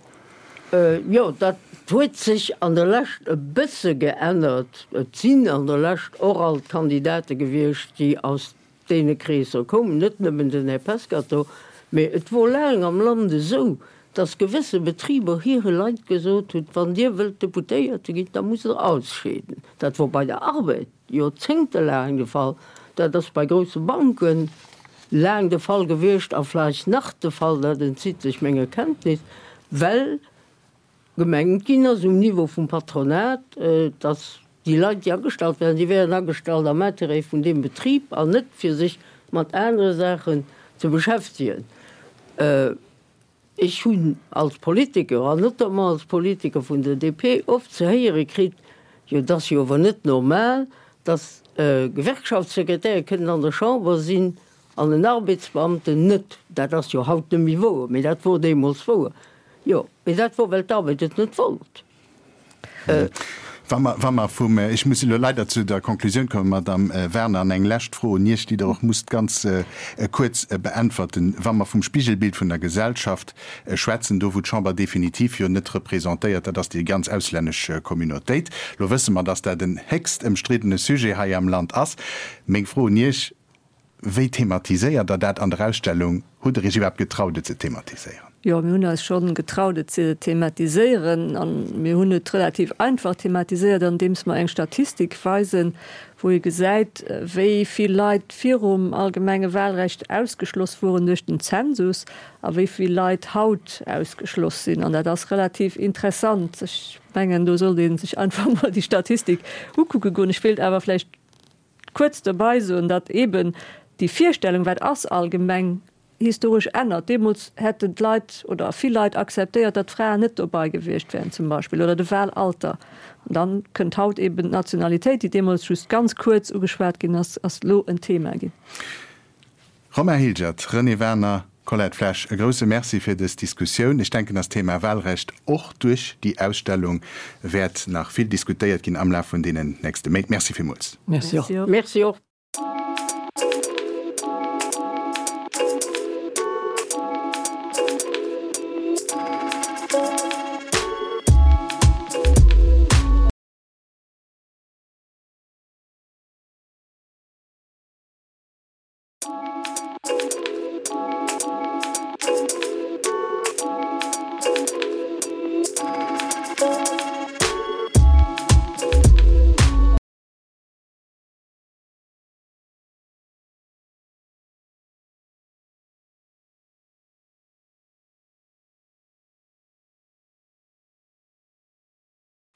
Jo, dat huet sech an der Lescht e bësse geännert. Et sinn an der Lescht och alt Kandidate gewiescht, déi aus deene Kreesser koumen, net nëmmen den Här Pescator. Mee et wor laang am Land esou, datt gewësse Betriber hire Leit gesot hunn, Wann Dir wëllt Deputéierte ginn, da musst Der ausscheeden. Dat wor bei der Arbed. Joerzéngtelaang de Fall. Dat ass bei grousse Banke laang de Fall gewiescht a vläicht nach de Fall, dat entzitt sech menger Kenntnis, well gemengt ginn ass um Niveau vum Patronat, dass déi Leit, déi agestallt werden, déi wären agestallt am Intérêt vun deem Betrib an net fir sech mat anere Saachen ze beschäftegen. Ech hunn als Politiker, an notamment als Politiker vun der DP, oft ze héiere kritt, jo et ass jo awer net normal, datt Gewerkschaftssekretäre kënnen an der Chamber sinn an en Arbeitsbeamten net. Dat ass jo haut net méi wouer, mee dat wor deemools wouer. Jo, mee dat wor, well d'Arbed et net wollt. Wa mer, wa mer vum, ech muss elo leider zu der Konklusioun kommen, Madamm Werner, an eng lescht Fro un Iech, déi Der och musst ganz kuerz beäntwerten. Wa mer vum Spigelbild vun der Gesellschaft schwätzen, do wou d'Chamber definitiv jo net representéiert, dat ass déi ganz auslännesch Communautéit. Elo wësse mer, dass dat en héchst ëmstriddene Sujet hei am Land ass. Meng Fro un Iech, Wéi thematiséiert Der dat an der Ausstellung? Hutt Der Iech iwwerhaapt getraut, et ze thematiséieren? Jo, mir hunn eis schonn getraut, et ze thematiséieren. A mir hunn et relativ einfach thematiséiert, andeems mer eng Statistik weisen, wou ee gesäit, wéi vill Leit virum allgemenge Wahlrecht ausgeschloss woren duerch den Zensus a wéi vill Leit haut ausgeschloss sinn. An dat ass relativ interessant. Ech mengen, do sollt ee sech einfach mol déi Statistik ukucke goen. Ech wéilt awer vläicht kuerz dobei soen, datt eeben déi Virstellung, wat ass allgemeng historesch ännert. Deemools hätten d'Leit oder vill Leit akzeptéiert, datt d'Fraen net dobei gewiescht wären zum Beispill oder de Wahlalter. An dann kënnt haut eeben d'Nationalitéit, déi deemools just ganz kuerz ugeschwat ginn ass, ass elo en Thema ginn. Romain Hilgert, Renée Werner, Colette Flesch, e grouse Merci fir dës Diskussioun. Ech denken, dass d'Thema Wahlrecht och duerch déi Ausstellung wäert nach vill diskutéiert ginn am Laf vun deenen nächste Méint. Merci villmools. Merci och. Merci och.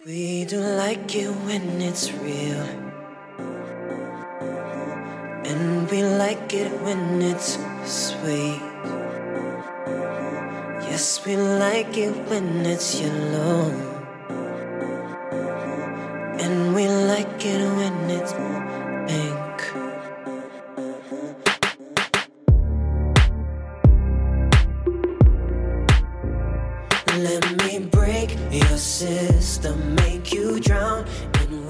We don't like it when it's real And we like it when it's sweet Yes, we like it when it's yellow And we like it when it's pink Let me break your system, make you drown in.